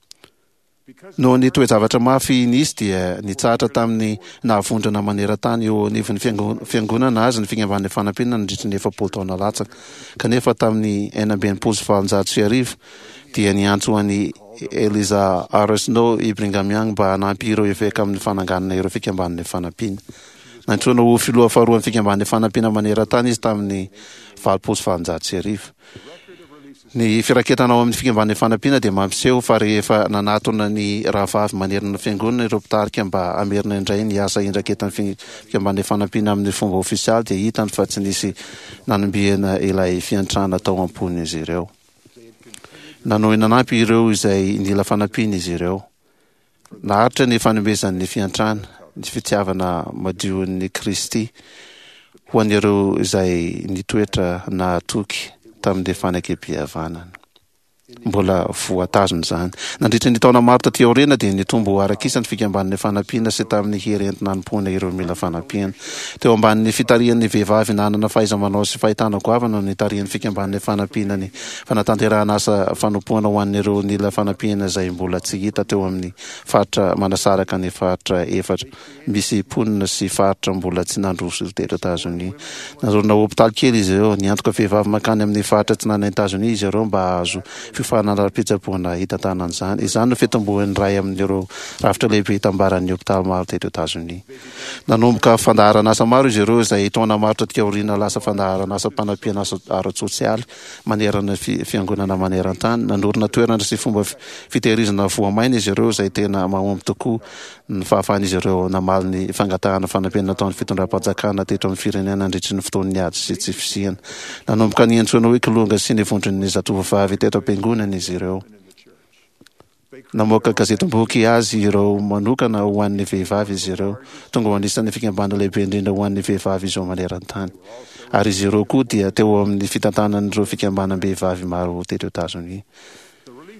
Noho ny toe-javatra mafy nisy dia nitsahatra tamin'ny naha-vondrona maneran-tany eo anivon'ny Fiangonana azy ny Fikambanan'ny Fanampiana nandritry ny 40 taona latsaka. Kanefa tamin'ny 1866 dia niantso an'i Eliza R. Snow i Brigham Young mba hanampy ireo eveka amin'ny fananganana ireo Fikambanan'ny Fanampiana. Nantsoina ho filoha faharoan'ny Fikambanan'ny Fanampiana maneran-tany izy tamin'ny 1880. Ny firaketana ao amin'ny Fikambanan'ny Fanampiana dia mampiseho fa rehefa nanatona ny rahavavy manerana ny Fiangonana ireo mpitarika mba hamerina indray ny asa indraketan'ny Fikambanan'ny Fanampiana amin'ny fomba ofisialy dia hitany fa tsy nisy nanombiana ilay fiantrana tao am-pon'izy ireo. Nanohy nanampy ireo izay nila fanampiana izy ireo. Naharitra ny fanomezan'ny fiantrana, ny fitiavana madion'i Kristy ho an'ireo izay nitoetra nahatoky tamin'ny fanekempihavanana. Mbola voatazona izany. Nandritra ny taona maro taty aoriana dia nitombo araka isa ny fikambanan'ny fanampiana sy tamin'ny hery entina hanompoana ireo mila fanampiana. Teo ambanin'ny fitarihan'ny vehivavy nanana fahaiza-manao sy fahitana goavana no nitarihan'ny fikambanan'ny fanampiana ny fanatanterahana asa fanompoana ho an'ireo nila fanampiana izay mbola tsy hita teo amin'ny faritra manasaraka ny faritra efatra misy mponina sy faritra mbola tsy nandroso teto Etazonia. Nanorina hopitaly kely izy ireo. Niantoka vehivavy mankany amin'ny faritra atsinanan'i Etazonia izy ireo mba hahazo fiofanana ara-pitsaboana hitantanana izany. Izany no fitomboan'ny iray amin'ireo rafitra lehibe itambaran'ny hopitaly maro teto Etazonia. Nanomboka fandaharan'asa maro izy ireo izay taona maro taty aoriana lasa fandaharan'asam-panampiana ara-tsosialy manerana ny fiangonana maneran-tany. Nanorina toerana sy fomba fitehirizana voamaina izy ireo izay tena mahomby tokoa ny fahafahan'izy ireo namaly ny fangatahana fanampiana nataon'ny fitondram-panjakana teto amin'ny firenena nandritry ny fotoan'ny ady sy tsy fisiana. Nanomboka niantsoana hoe Kilonga sy ny vondron'ny zatovovavy teto am-piangonana izy ireo. Namoaka gazetim-boky azy ireo manokana ho an'ny vehivavy izy ireo. Tonga ho anisan'ny fikambanana lehibe indrindra ho an'ny vehivavy izao maneran-tany. Ary izy ireo koa dia teo amin'ny fitantanan'ireo fikambanam-behivavy maro teto Etazonia.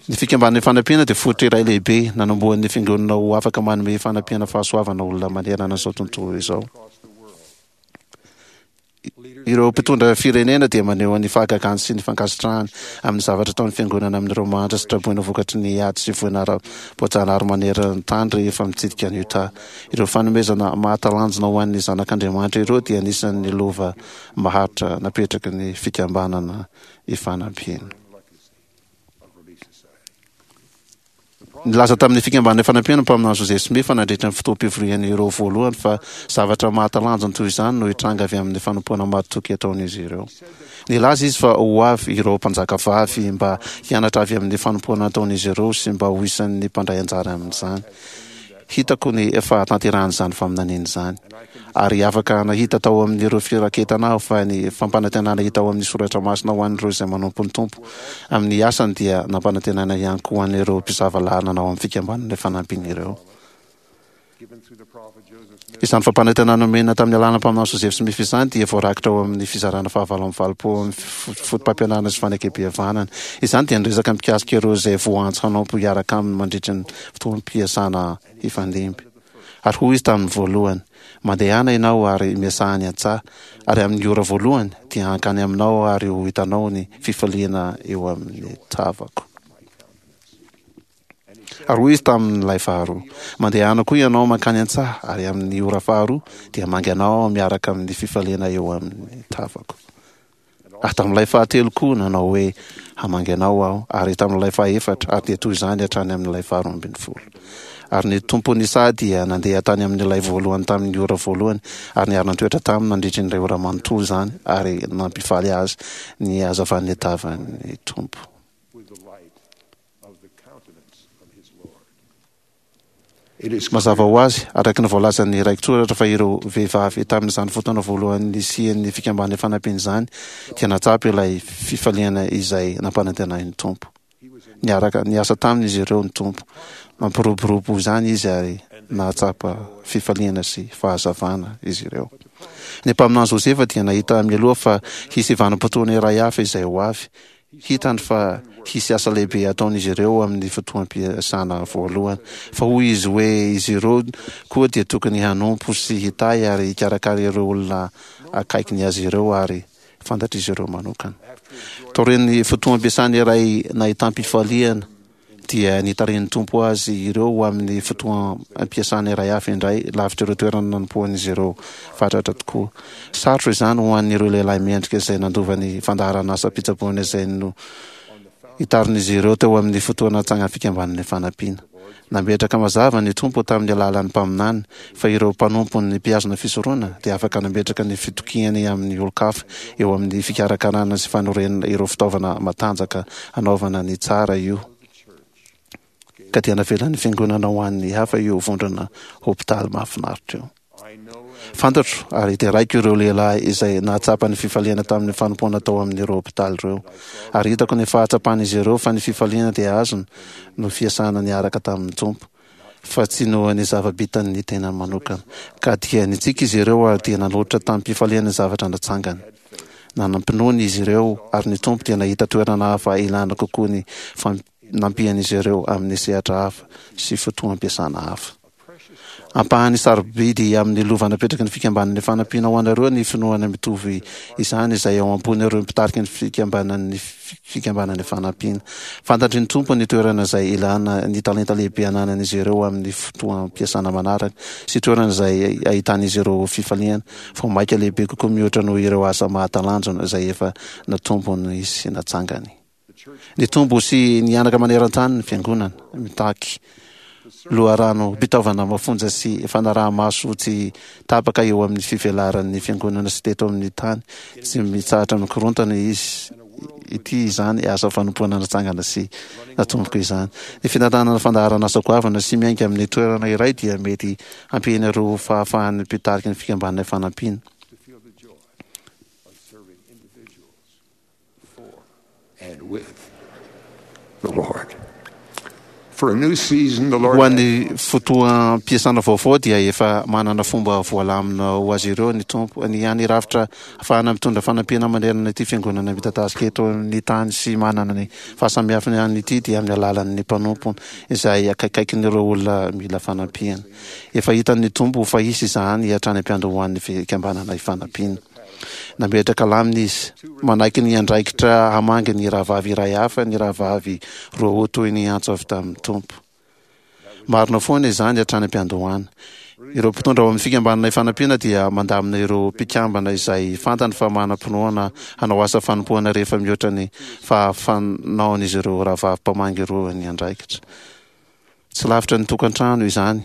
Ny Fikambanana Ifanampiana dia fototra iray lehibe nanombohan'ny Fiangonana ho afaka manome fanampiana fahasoavana olona manerana izao tontolo izao. Ireo mpitondra firenena dia maneho ny fahagagany sy ny fankasitrahany amin'ny zavatra ataon'ny Fiangonana amin'ireo mahantra sy traboina vokatry ny ady sy voina ara-boajanahary maneran-tany rehefa mitsidika an'i Utah. Ireo fanomezana mahatalanjona ho an'ny zanak'Andriamanitra ireo dia anisan'ny lova maharitra napetraky ny Fikambanana Ifanampiana. Nilaza tamin'ny Fikambanana Ifanampiana ny mpaminany Joseph Smith nandritra ny fotoam-pivorian'ireo voalohany fa zavatra mahatalanjona toy izany no hitranga avy amin'ny fanompoana mahatoky ataon'izy ireo. Nilaza izy fa ho avy ireo mpanjakavavy mba hianatra avy amin'ny fanompoana ataon'izy ireo sy mba ho isan'ny mpandray anjara amin'izany. Hitako ny fahatanterahan'izany faminaniana izany. Ary afaka nahita tao amin'ireo firaketana aho fa ny fampanantenana hita ao amin'ny soratra masina ho an'ireo izay manompo ny Tompo amin'ny asany dia nampanantenaina ihany koa ho an'ireo mpisava lalana ao amin'ny fikambanana fanampiny ireo. Izany fampanantenana nomena tamin'ny alalan'ny mpaminany Joseph Smith izany dia voarakitra ao amin'ny fizarana fahavalo amby valopolo amin'ny fotopampianarana sy fanekempihavanana. Izany dia niresaka mikasika ireo izay voaantso hanompo hiaraka aminy mandritra ny fotoam-piasana hifandimby. Ary hoy izy tamin'ny voalohany, Mandehana ianao ary miasà any an-tsaha, ary amin'ny ora voalohany dia hankany aminao aho ary ho hitanao ny fifaliana eo amin'ny tavako. Ary hoy izy tamin'ilay faharoa, Mandehana koa ianao mankany an-tsaha, ary amin'ny ora faharoa dia hamangy anao aho miaraka amin'ny fifaliana eo amin'ny tavako. Ary tamin'ilay fahatelo koa nanao hoe, Hamangy anao aho, ary tamin'ilay fahefatra, ary dia toy izany hatrany amin'ilay faharoambinifolo. Ary ny tompon'ny saha dia nandeha tany amin'ilay voalohany tamin'ny ora voalohany, ary niara-nitoetra taminy nandritry ny iray ora manontolo izany, ary nampifaly azy ny hazavan'ny tavan'ny Tompo. Mazava ho azy, araka ny voalazan'ny rakitsoratra fa ireo vehivavy tamin'izany fotoana voalohany nisian'ny Fikambanana Ifanampiana izany dia nahatsapa ilay fifaliana izay nampanantenain'ny Tompo. Niaraka niasa taminy izy ireo ny Tompo. Nampiroborobo izany Izy ary nahatsapa fifaliana sy fahazavana izy ireo. Ny mpaminany Josefa dia nahita mialoha fa hisy vanim-potoana iray hafa izay ho avy, Hitany fa hisy asa lehibe hataon'izy ireo amin'ny fotoam-piasana voalohany. Fa hoy izy hoe izy ireo koa dia tokony hanompo sy hitahy ary hikarakara ireo olona akaikiny azy ireo ary fantatr'izy ireo manokana. Taorian'ny fotoam-piasana iray nahitam-pifaliana, dia nitarihin'ny Tompo azy ireo ho amin'ny fotoam-piasana iray hafa indray, lavitr'ireo toerana nanompoan'izy ireo fatratra tokoa. Sarotra izany ho an'ireo lehilahy mendrika izay nandova ny fandaharan'asam-pitsaboana izay nohitarin'izy ireo teo amin'ny fotoana tsangan'ny Fikambanana Ifanampiana. Nametraka mazava ny Tompo tamin'ny alalan'ny mpaminany fa ireo mpanompony mpihazona fisoronana dia afaka nametraka ny fitokiany amin'ny olon-kafa eo amin'ny fikarakarana sy fanorenana ireo fitaovana matanjaka hanaovana ny tsara io ka dia navelan'ny Fiangonana ho an'ny hafa io vondrona hopitaly mahafinaritra io. Fantatro ary deraiko ireo lehilahy izay nahatsapa ny fifaliana tamin'ny fanompoana tao amin'ireo hopitaly ireo. Ary hitako ny fahatsapan'izy ireo fa ny fifaliana dia azony noho fiasana niaraka tamin'ny Tompo, fa tsy noho ny zava-bitan'ny tenany manokana. Ka dia nitsiky izy ireo ary dia nanolotra tamim-pifaliana ny zavatra natsangany. Nanam-pinoana izy ireo ary ny Tompo dia nahita toerana hafa ilana kokoa ny fanampian'izy ireo amin'ny sehatra hafa sy fotoam-piasana hafa. Ampahany sarobidy amin'ny lova napetraky ny Fikambanan'ny Fanampiana ho anareo ny finoana mitovy izany izay ao am-pon'ireo mpitarika ny Fikambanan'ny Fikambanan'ny Fanampiana. Fantatry ny Tompo ny toerana izay ilana ny talenta lehibe ananan'izy ireo amin'ny fotoam-piasana manaraka sy toerana izay ahitan'izy ireo fifaliana vao mainka lehibe kokoa mihoatra noho ireo asa mahatalanjona izay efa natombony sy natsangany. Nitombo sy nihanaka maneran-tany ny Fiangonana. Mitaky loharanom-pitaovana mafonja sy fanaraha-maso tsy tapaka eo amin'ny fivelaran'ny Fiangonana sy teto amin'ny tany tsy mitsahatra mikorontana izy ity izany asa fanompoana natsangana sy natomboka izany. Ny fitantanana fandaharan'asa goavana sy miainga amin'ny toerana iray dia mety hampihena ireo fahafahan'ny mpitarika ny Fikambanana Ifanampiana. Ho an'ny fotoam-piasana vaovao dia efa manana fomba voalamina ho azy ireo ny Tompo. Ny hany rafitra ahafahana mitondra fanampiana manerana ity fiangonana midadasika eto amin'ny tany sy manana ny fahasamihafany ihany ity dia amin'ny alalan'ny mpanompony izay akaikaikin'ireo olona mila fanampiana. Efa hitan'ny Tompo fa hisy izany hatrany am-piandohan'ny fikambanana Ifanampiana. Nametraka lamina izy. Manaiky ny andraikitra hamangy ny rahavavy iray hafa ny rahavavy Roa toy ny antso avy tamin'ny Tompo. Marina foana izany hatrany am-piandohana. Ireo mpitondra ao amin'ny Fikambanana Ifanampiana dia mandamina ireo mpikambana izay fantany fa manam-pinoana hanao asa fanompoana rehefa mihoatra ny fahafanaon'izy ireo rahavavy mpamangy ireo ny andraikitra. Tsy lavitra ny tokantrano izany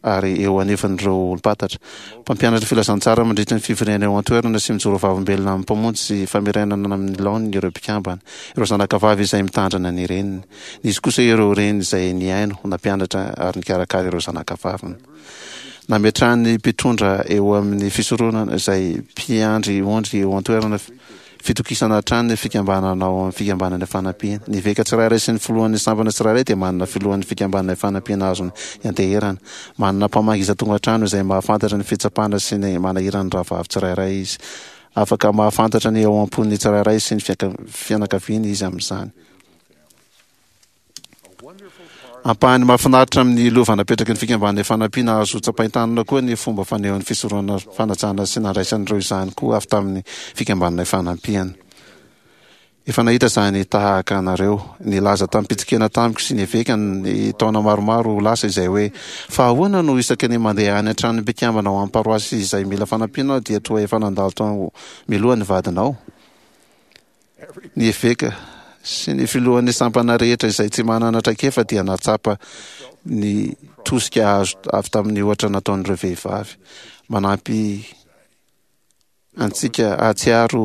ary eo anivon'ireo olom-pantatra. Mpampianatra filazantsara mandritra ny fivoriana eo an-toerana sy mijoro vavolombelona amin'ny Mpamonjy sy famerenana amin'ny laoniny ireo mpikambana. Ireo zanakavavy izay mitandrina ny reniny. Nisy kosa ireo reny izay nihaino, nampianatra ary nikarakara ireo zanakavaviny. Nametrahan'ny mpitondra eo amin'ny fisoronana izay mpiandry ondry eo an-toerana fitokisana hatrany ny fikambanana ao amin'ny Fikambanana Ifanampiana. Ny eveka tsirairay sy ny filohan'ny sampana tsirairay dia manana filohan'ny Fikambanana Ifanampiana azony ianteherana. Manana mpamangy isan-tokantrano izay mahafantatra ny fitsapana sy ny manahiran'ny rahavavy tsirairay izy. Afaka mahafantatra ny ao am-pon'ny tsirairay sy ny fianakaviany izy amin'izany. Ampahany mahafinaritra amin'ny lova napetraky ny Fikambanana Ifanampiana azo tsapain-tanana koa ny fomba fanehoan'ny fisoronana fanajana sy nandraisan'ireo izany koa avy tamin'ny Fikambanana Ifanampiana. Efa nahita izany tahaka anareo. Nilaza tamim-pitsikiana tamiko sy ny eveka ny taona maromaro lasa izay hoe, Fa ahoana no isaky ny mandeha any an-tranon'ny mpikambana ao amin'ny paroasy izay mila fanampiana aho dia toa efa nandalo tao mialoha ny vadinao? Ny eveka sy ny filohan'ny sampana rehetra izay tsy manana traikefa dia nahatsapa ny tosika azo avy tamin'ny ohatra nataon'ireo vehivavy. Manampy antsika hahatsiaro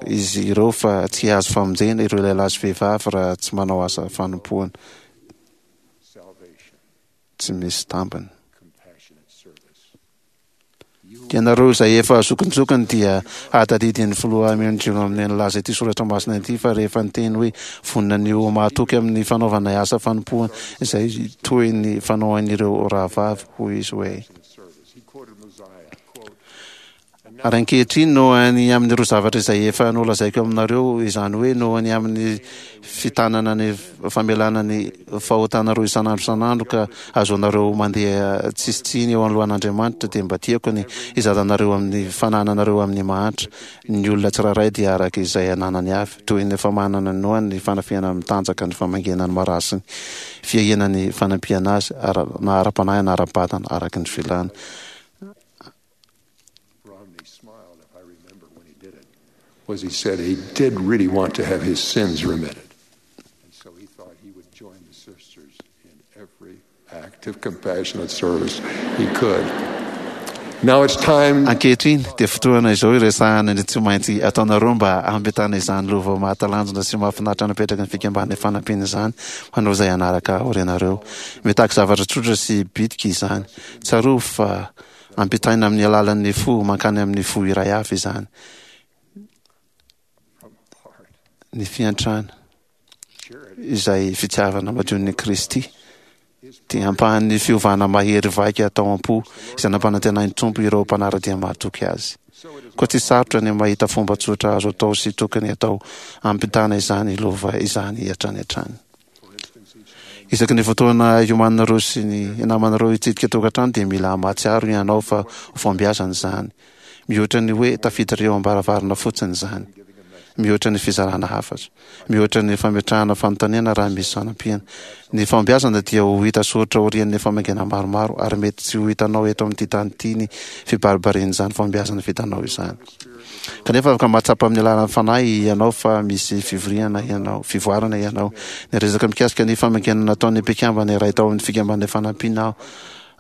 izy ireo fa tsy hahazo famonjena ireo lehilahy sy vehivavy raha tsy manao asa fanompoana tsy misy tambiny. Ianareo izay efa zokinjokiny dia hahatadidy ny Filoha Amendrion amin'ny nilaza ity soratra masina ity fa rehefa niteny hoe vonona ny ho mahatoky amin'ny fanaovana asa fanompoana izay toy ny fanaoan'ireo rahavavy, hoy izy hoe. Ary ankehitriny, noho ny amin'ireo zavatra izay efa nolazaiko aminareo, izany hoe noho ny amin'ny fitanana ny famelana ny fahotanareo isan'andro isan'andro ka ahazoanareo mandeha tsisy tsiny eo anoloan'Andriamanitra, dia mba tiako ny hizaranareo amin'ny fanananareo amin'ny mahantra. Ny olona tsirairay dia araka izay ananany avy, toy ny famanana ny noana, ny fanafihana mitanjaka, ny famangiana ny marary sy ny fiahiana ny fanampiana azy, na ara-panahy na ara-batana, araka ny filany. Romney smiled, if I remember when he did it, was he said he did really want to have his sins remitted. And so he thought he would join the sisters in every act of compassionate service he could. Now it's time. Ankehitriny dia fotoana izao iresahana ny tsy maintsy ataonareo mba hampitana izany lova mahatalanjona sy mahafinaritra napetraky ny Fikambanana Ifanampiana izany ho anareo izay hanaraka aorianareo. Mitaky zavatra tsotra sy bitika izany. Tsarovy fa Ampitaina amin'ny alalan'ny fo mankany amin'ny fo iray hafa izany. Ny fiantrana, izay fitiavana madion'i Kristy, dia ampahan'ny fiovana mahery vaika tao am-po izay nampanantenain'ny Tompo ireo mpanara-dia mahatoky Azy. Koa tsy sarotra ny mahita fomba tsotra azo atao sy tokony atao hampitana izany lova izany hatrany hatrany. Isaky ny fotoana iomananareo sy ny namanareo hitsidika tokantrano dia mila mahatsiaro ianao fa ho fahombiazana izany. Mihoatra ny hoe tafiditra eo am-baravarana fotsiny izany. Mihoatra ny fizarana hafatra. Mihoatra ny fametrahana fanontaniana raha misy fanampiana. Ny fahombiazana dia ho hita soritra aorian'ny famangiana maromaro ary mety tsy ho hitanao eto amin'ity tany ity ny fibaribarian'izany fahombiazana vitanao izany. Kanefa afaka mahatsapa amin'ny alalan'ny Fanahy ianao fa misy fivoriana ianao, fivoarana ianao. Niresaka mikasika ny famangiana nataon'ny mpikambana iray tao amin'ny Fikambanana Ifanampiana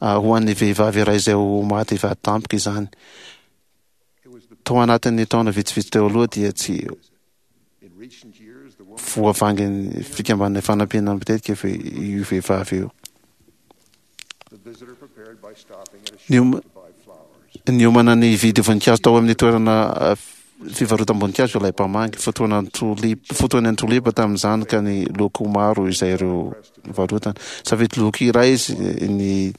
aho ho an'ny vehivavy iray izay ho maty vady tampoka izany. Tao anatin'ny taona vitsivitsy teo aloha dia tsy voavangin'ny Fikambanana Ifanampiana matetika io vehivavy io. Niomana ny hividy voninkazo tao amin'ny toerana fivarotam-boninkazo ilay mpamangy. Fotoanan'ny tolipa tamin'izany ka ny loko maro izay ireo varotana. Safidy loko iray izy ny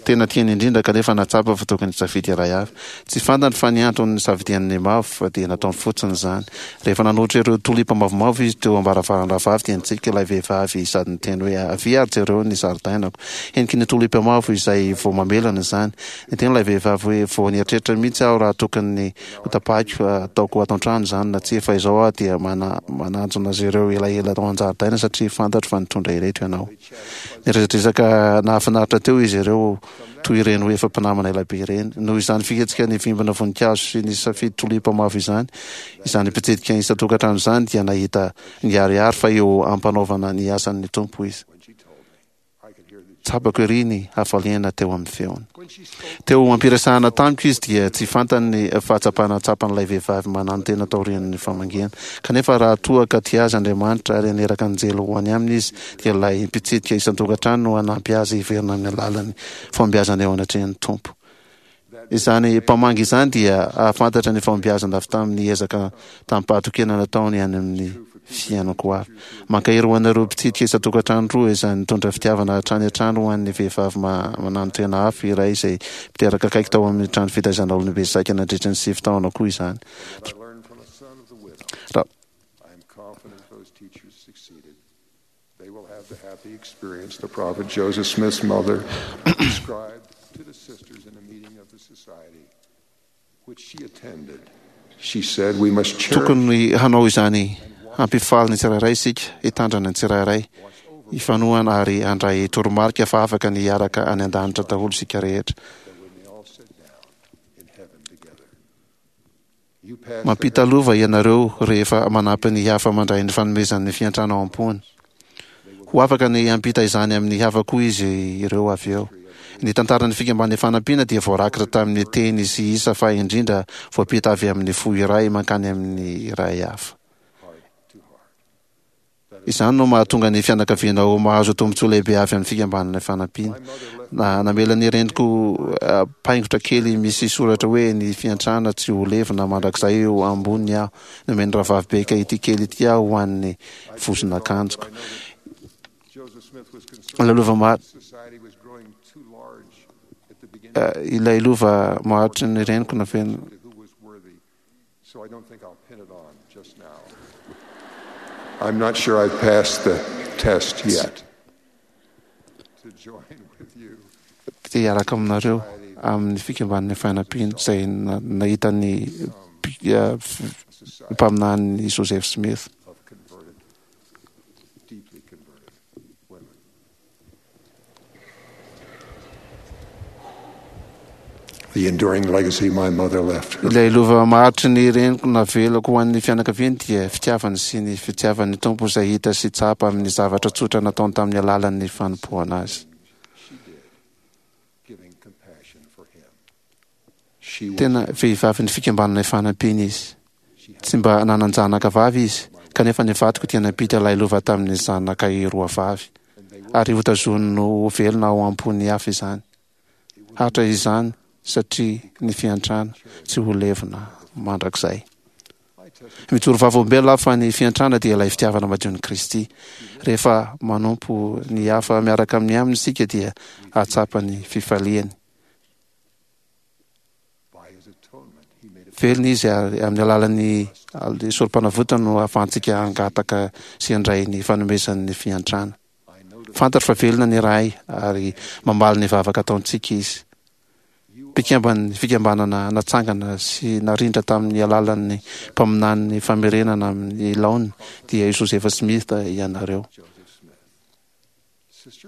tena tiany indrindra kanefa nahatsapa fa tokony hisafidy iray hafa. Tsy fantany fa ny antony nisafidiany ny mavo dia nataony fotsiny izany. Rehefa nanolotra ireo tolipa mavomavo izy teo am-baravaran-drahavavy dia nitsiky ilay vehivavy sady niteny hoe, Avia ary jereo ny zaridainako. Heniky ny tolipa mavo izay vao mamelana izany. Niteny ilay vehivavy hoe, Vao nieritreritra mihitsy aho raha tokony hotapahiko hataoko ato an-trano izany na tsia fa izao aho dia mananjona azy ireo elaela ao an-jaridaina satria fantatro fa nitondra ireto ianao. Niresadresaka nahafinaritra teo izy ireo toy ireny ho efa mpinamana elabe ireny. Noho izany fihetsika nivimbina voninkazo sy nisafidy tolipa mavo izany, izany mpitsidika isan-tokantrano izany dia nahita niharihary fa eo am-panaovana ny asan'ny Tompo izy. Tsapako ery ny hafaliana teo amin'ny feony. Teo am-piresahana tamiko izy dia tsy fantany ny fahatsapana tsapan'ilay vehivavy mananotena taorian'ny famangiana. Kanefa raha toa ka tia azy Andriamanitra ary haniraka anjely ho any aminy Izy dia ilay mpitsidika isan-tokantrano no hanampy azy hiverina amin'ny alalan'ny fahombiazana eo anatrehan'ny Tompo. Izany mpamangy izany dia hahafantatra ny fahombiazana avy tamin'ny ezaka tamim-pahatokiana nataony any amin'ny fiainako avy. Mankahery ho anareo mpitsidika isan-tokantrano roa izany nitondra fitiavana hatrany hatrany ho an'ny vehivavy mananotena hafa iray izay mpiteraka akaiky tao amin'ny trano fitaizana olombe saika nandritra ny sivy taona koa izany. Raha They will have the happy experience the prophet Joseph Smith's mother described to the sisters in a meeting of the society which she attended. She said we must cherish Tokony hanao izany hampifaly ny tsirairay isika, hitandrana ny tsirairay, hifanohana ary handray toromarika fa afaka ny hiaraka any an-danitra daholo isika rehetra. Mampita lova ianareo rehefa manampy ny hafa mandray ny fanomezan'ny fiantrana ao am-pony. Ho afaka ny hampita izany amin'ny hafa koa izy ireo avy eo. Ny tantaran'ny Fikambanan'ny Fanampiana dia voarakitra tamin'ny teny sy isa fa indrindra voampita avy amin'ny fo iray mankany amin'ny iray hafa. Izany no mahatonga ny fianakaviana ho mahazo tombontsoa lehibe avy amin'ny Fikambanana Ifanampiana. Na, namela ny reniko paingotra kely misy soratra hoe Ny fiantrana tsy ho levona mandrakizay eo amboniny aho. Nomen'ny Rahavavy Baker ity kely ity aho ho an'ny vozon'akanjoko. Ilay lova maha, ilay lova maharitry ny reniko nafenina. So I don't think I'll pin it on just now. I'm not sure I've passed the test yet. To join with you. Te hiaraka aminareo amin'ny fikambanan'ny fanampiana izay nahita ny mpaminany Joseph Smith. Ilay lova maharitry ny reniko navelako ho an'ny fianakaviany dia fitiavany sy ny fitiavan'ny Tompo izay hita sy tsapa amin'ny zavatra tsotra nataony tamin'ny alalan'ny fanompoana Azy. Tena vehivavin'ny Fikambanana Ifanampiana izy. Tsy mba nanan-janaka vavy izy, kanefa ny vadiko dia nampita ilay lova tamin'ny zanakay roa vavy, ary hotazoniny ho velona ao am-pon'ny hafa izany. Hatra izany satria ny fiantrana tsy ho levona mandrakizay. Mijoro vavolombelona aho fa ny fiantrana dia ilay fitiavana madion'i Kristy. Rehefa manompo ny hafa miaraka amin'ny aminy isika dia hahatsapa ny fifaliany. Velona Izy ary amin'ny alalan'ny sorom-panavotany no ahafahantsika hangataka sy handray ny fanomezan'ny fiantrana. Fantatro fa velona ny Ray ary mamaly ny vavaka ataontsika Izy. Mpikamban'ny fikambanana natsangana sy narindra tamin'ny alalan'ny mpaminany famerenana amin'ny laoniny dia i Joseph Smith ianareo.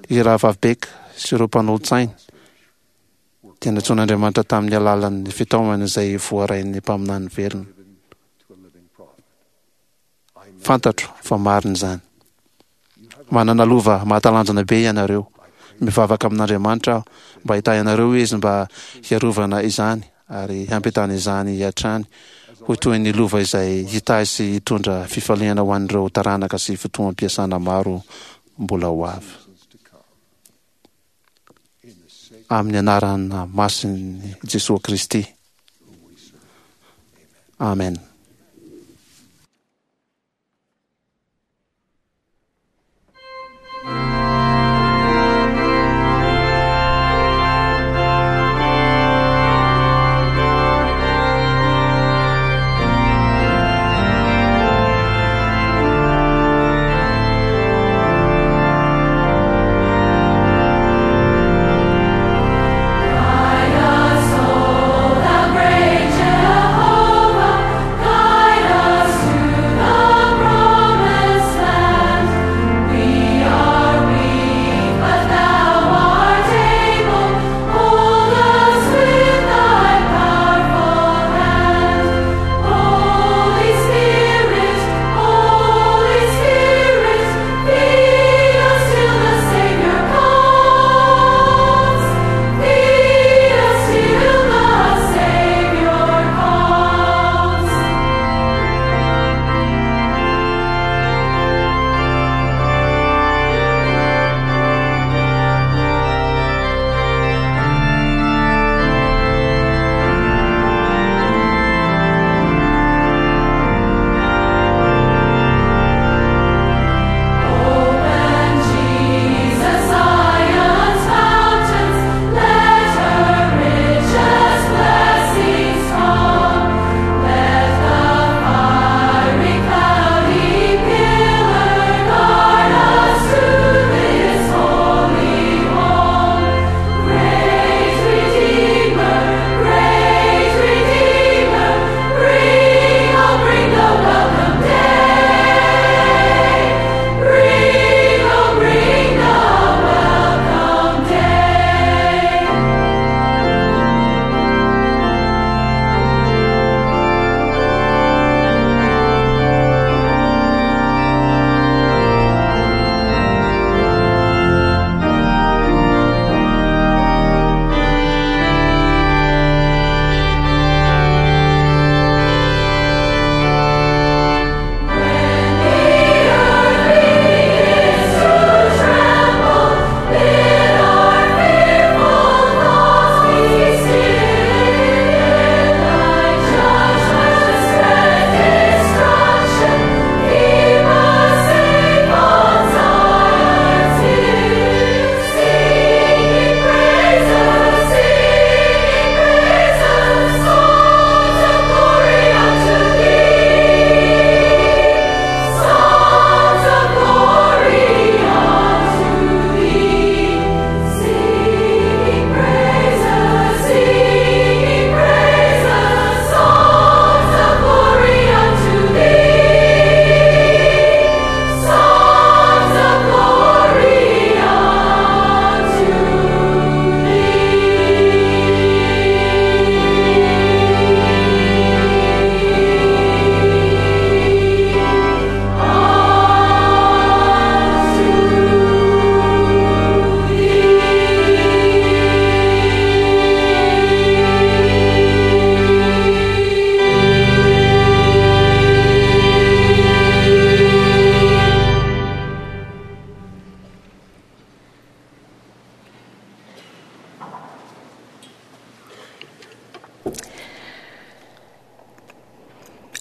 I Rahavavy Beck sy ireo mpanolotsainy dia nantsoin'Andriamanitra tamin'ny alalan'ny fitaomana izay voarain'ny mpaminany velona. Fantatro fa marina izany. Manana lova mahatalanjona be ianareo. Mivavaka amin'Andriamanitra aho mba hitahy anareo Izy mba hiarovana izany ary hampitana izany hatrany ho toy ny lova izay hitahy sy hitondra fifaliana ho an'ireo taranaka sy fotoam-piasana maro mbola ho avy. Amin'ny anarana masin'i Jesoa Kristy. Amen.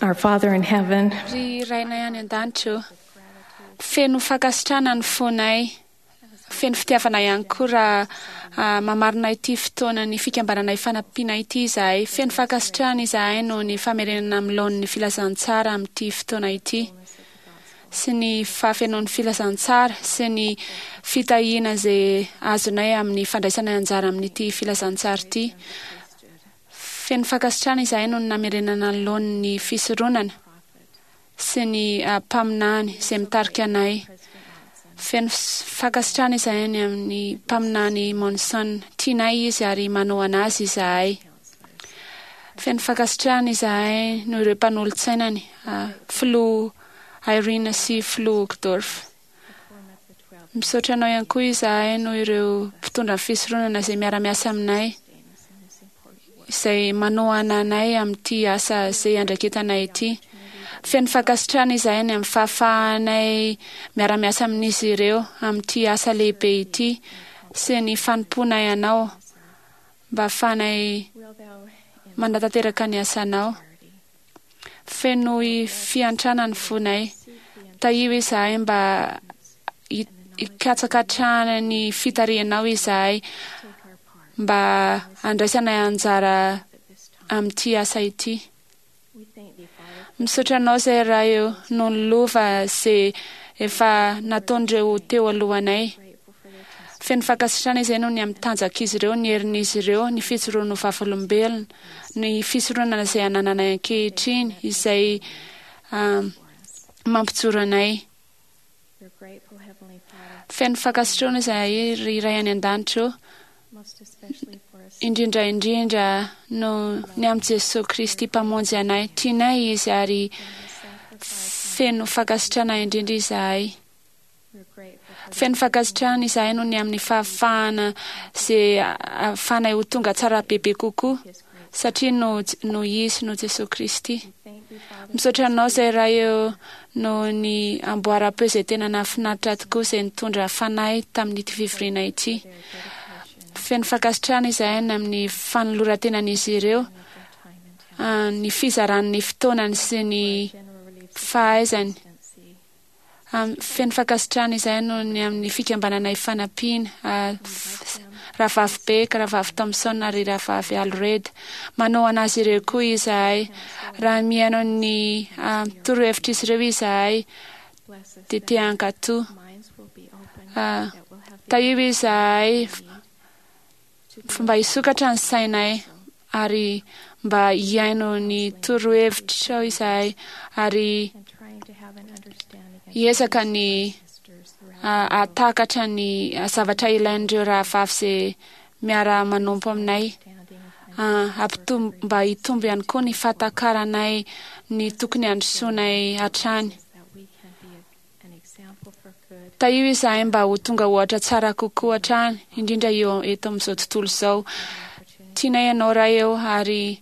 Our Father in heaven, Ry Rainay any an-danitra ô, feno fankasitrahana ny fonay, feno fitiavana ihany koa raha mamarina ity fotoanan'ny fikambanana ifanampiana ity izahay. Feno fankasitrahana izahay noho ny famerenana amin'ny laoniny filazantsara amin'ity fotoana ity sy ny fahafenoan'ny filazantsara sy ny fitahiana izay azonay amin'ny fandraisana anjara amin'ity filazantsara ity. Feno fankasitrahana izahay noho ny namerenana ny laoniny fisoronana sy ny mpaminany izay mitarika anay. Feno fankasitrahana izahay ny amin'ny mpaminany Monson. Tianay izy ary manohana azy izahay. Feno fankasitrahana izahay noho ireo mpanolotsainany, Filoha Irene sy Filoha Uchtdorf. Misaotra anao ihany koa izahay noho ireo mpitondra ny fisoronana izay miara-miasa aminay, izay manohana anay amin'ity asa izay iandraiketanay ity. Feno fankasitrahana izahay ny amin'ny fahafahanay miara-miasa amin'izy ireo amin'ity asa lehibe ity sy ny fanompoanay anao mba hahafahanay manatanteraka ny asanao. Fenoy fiantrana ny fonay. Tahio izahay mba hikatsaka hatrany ny fitarihanao izahay mba handraisanay anjara amin'ity asa ity. Misaotra anao izay Ray o noho ny lova izay efa nataon'ireo teo alohanay. Feno fankasitrahana izay noho ny amin'ny tanjak'izy ireo, ny herin'izy ireo, ny fijoroany ho vavolombelona, ny fisoronana izay anananay ankehitriny, izay mampijoro anay. Feno fankasitrahana izahay ry Ray any An-danitra o, indrindra indrindra noho ny amin'i Jesoa Kristy Mpamonjy anay. Tianay Izy ary feno fankasitrahana indrindra izahay. Feno fankasitrahana izahay noho ny amin'ny fahafahana izay ahafahanay ho tonga tsara bebe kokoa satria noho noho Izy, noho Jesoa Kristy. Misaotra Anao izay Ray ô noho ny amboaram-peo izay tena nahafinaritra tokoa izay nitondra fanahy tamin'ity fivoriana ity. Feno fankasitrahana izahay ny amin'ny fanoloran-tenan'izy ireo, ny fizarany ny fotoanany sy ny fahaizany. Feno fankasitrahana izahay noho ny amin'ny fikambanana Ifanampiana, Rahavavy Beck, Rahavavy Thompson ary Rahavavy Allred. Manohana azy ireo koa izahay. Raha mihaino ny torohevitr'izy ireo izahay, dia te hankatò. Tahio izahay mba hisokatra ny sainay ary mba hihaino ny torohevitrao izahay ary hiezaka ny hahatakatra ny zavatra ilain'ireo rahavavy izay miara-manompo aminay. Hampitombo mba hitombo ihany koa ny fahatakaranay ny tokony handrosoanay hatrany. Tahio izahay mba ho tonga ohatra tsara kokoa hatrany, indrindra eo eto amin'izao tontolo izao. Tianay Ianao Ray ô, ary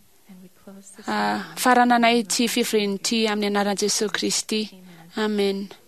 farananay ity fivoriana ity amin'ny anaran'i Jesoa Kristy. Amena.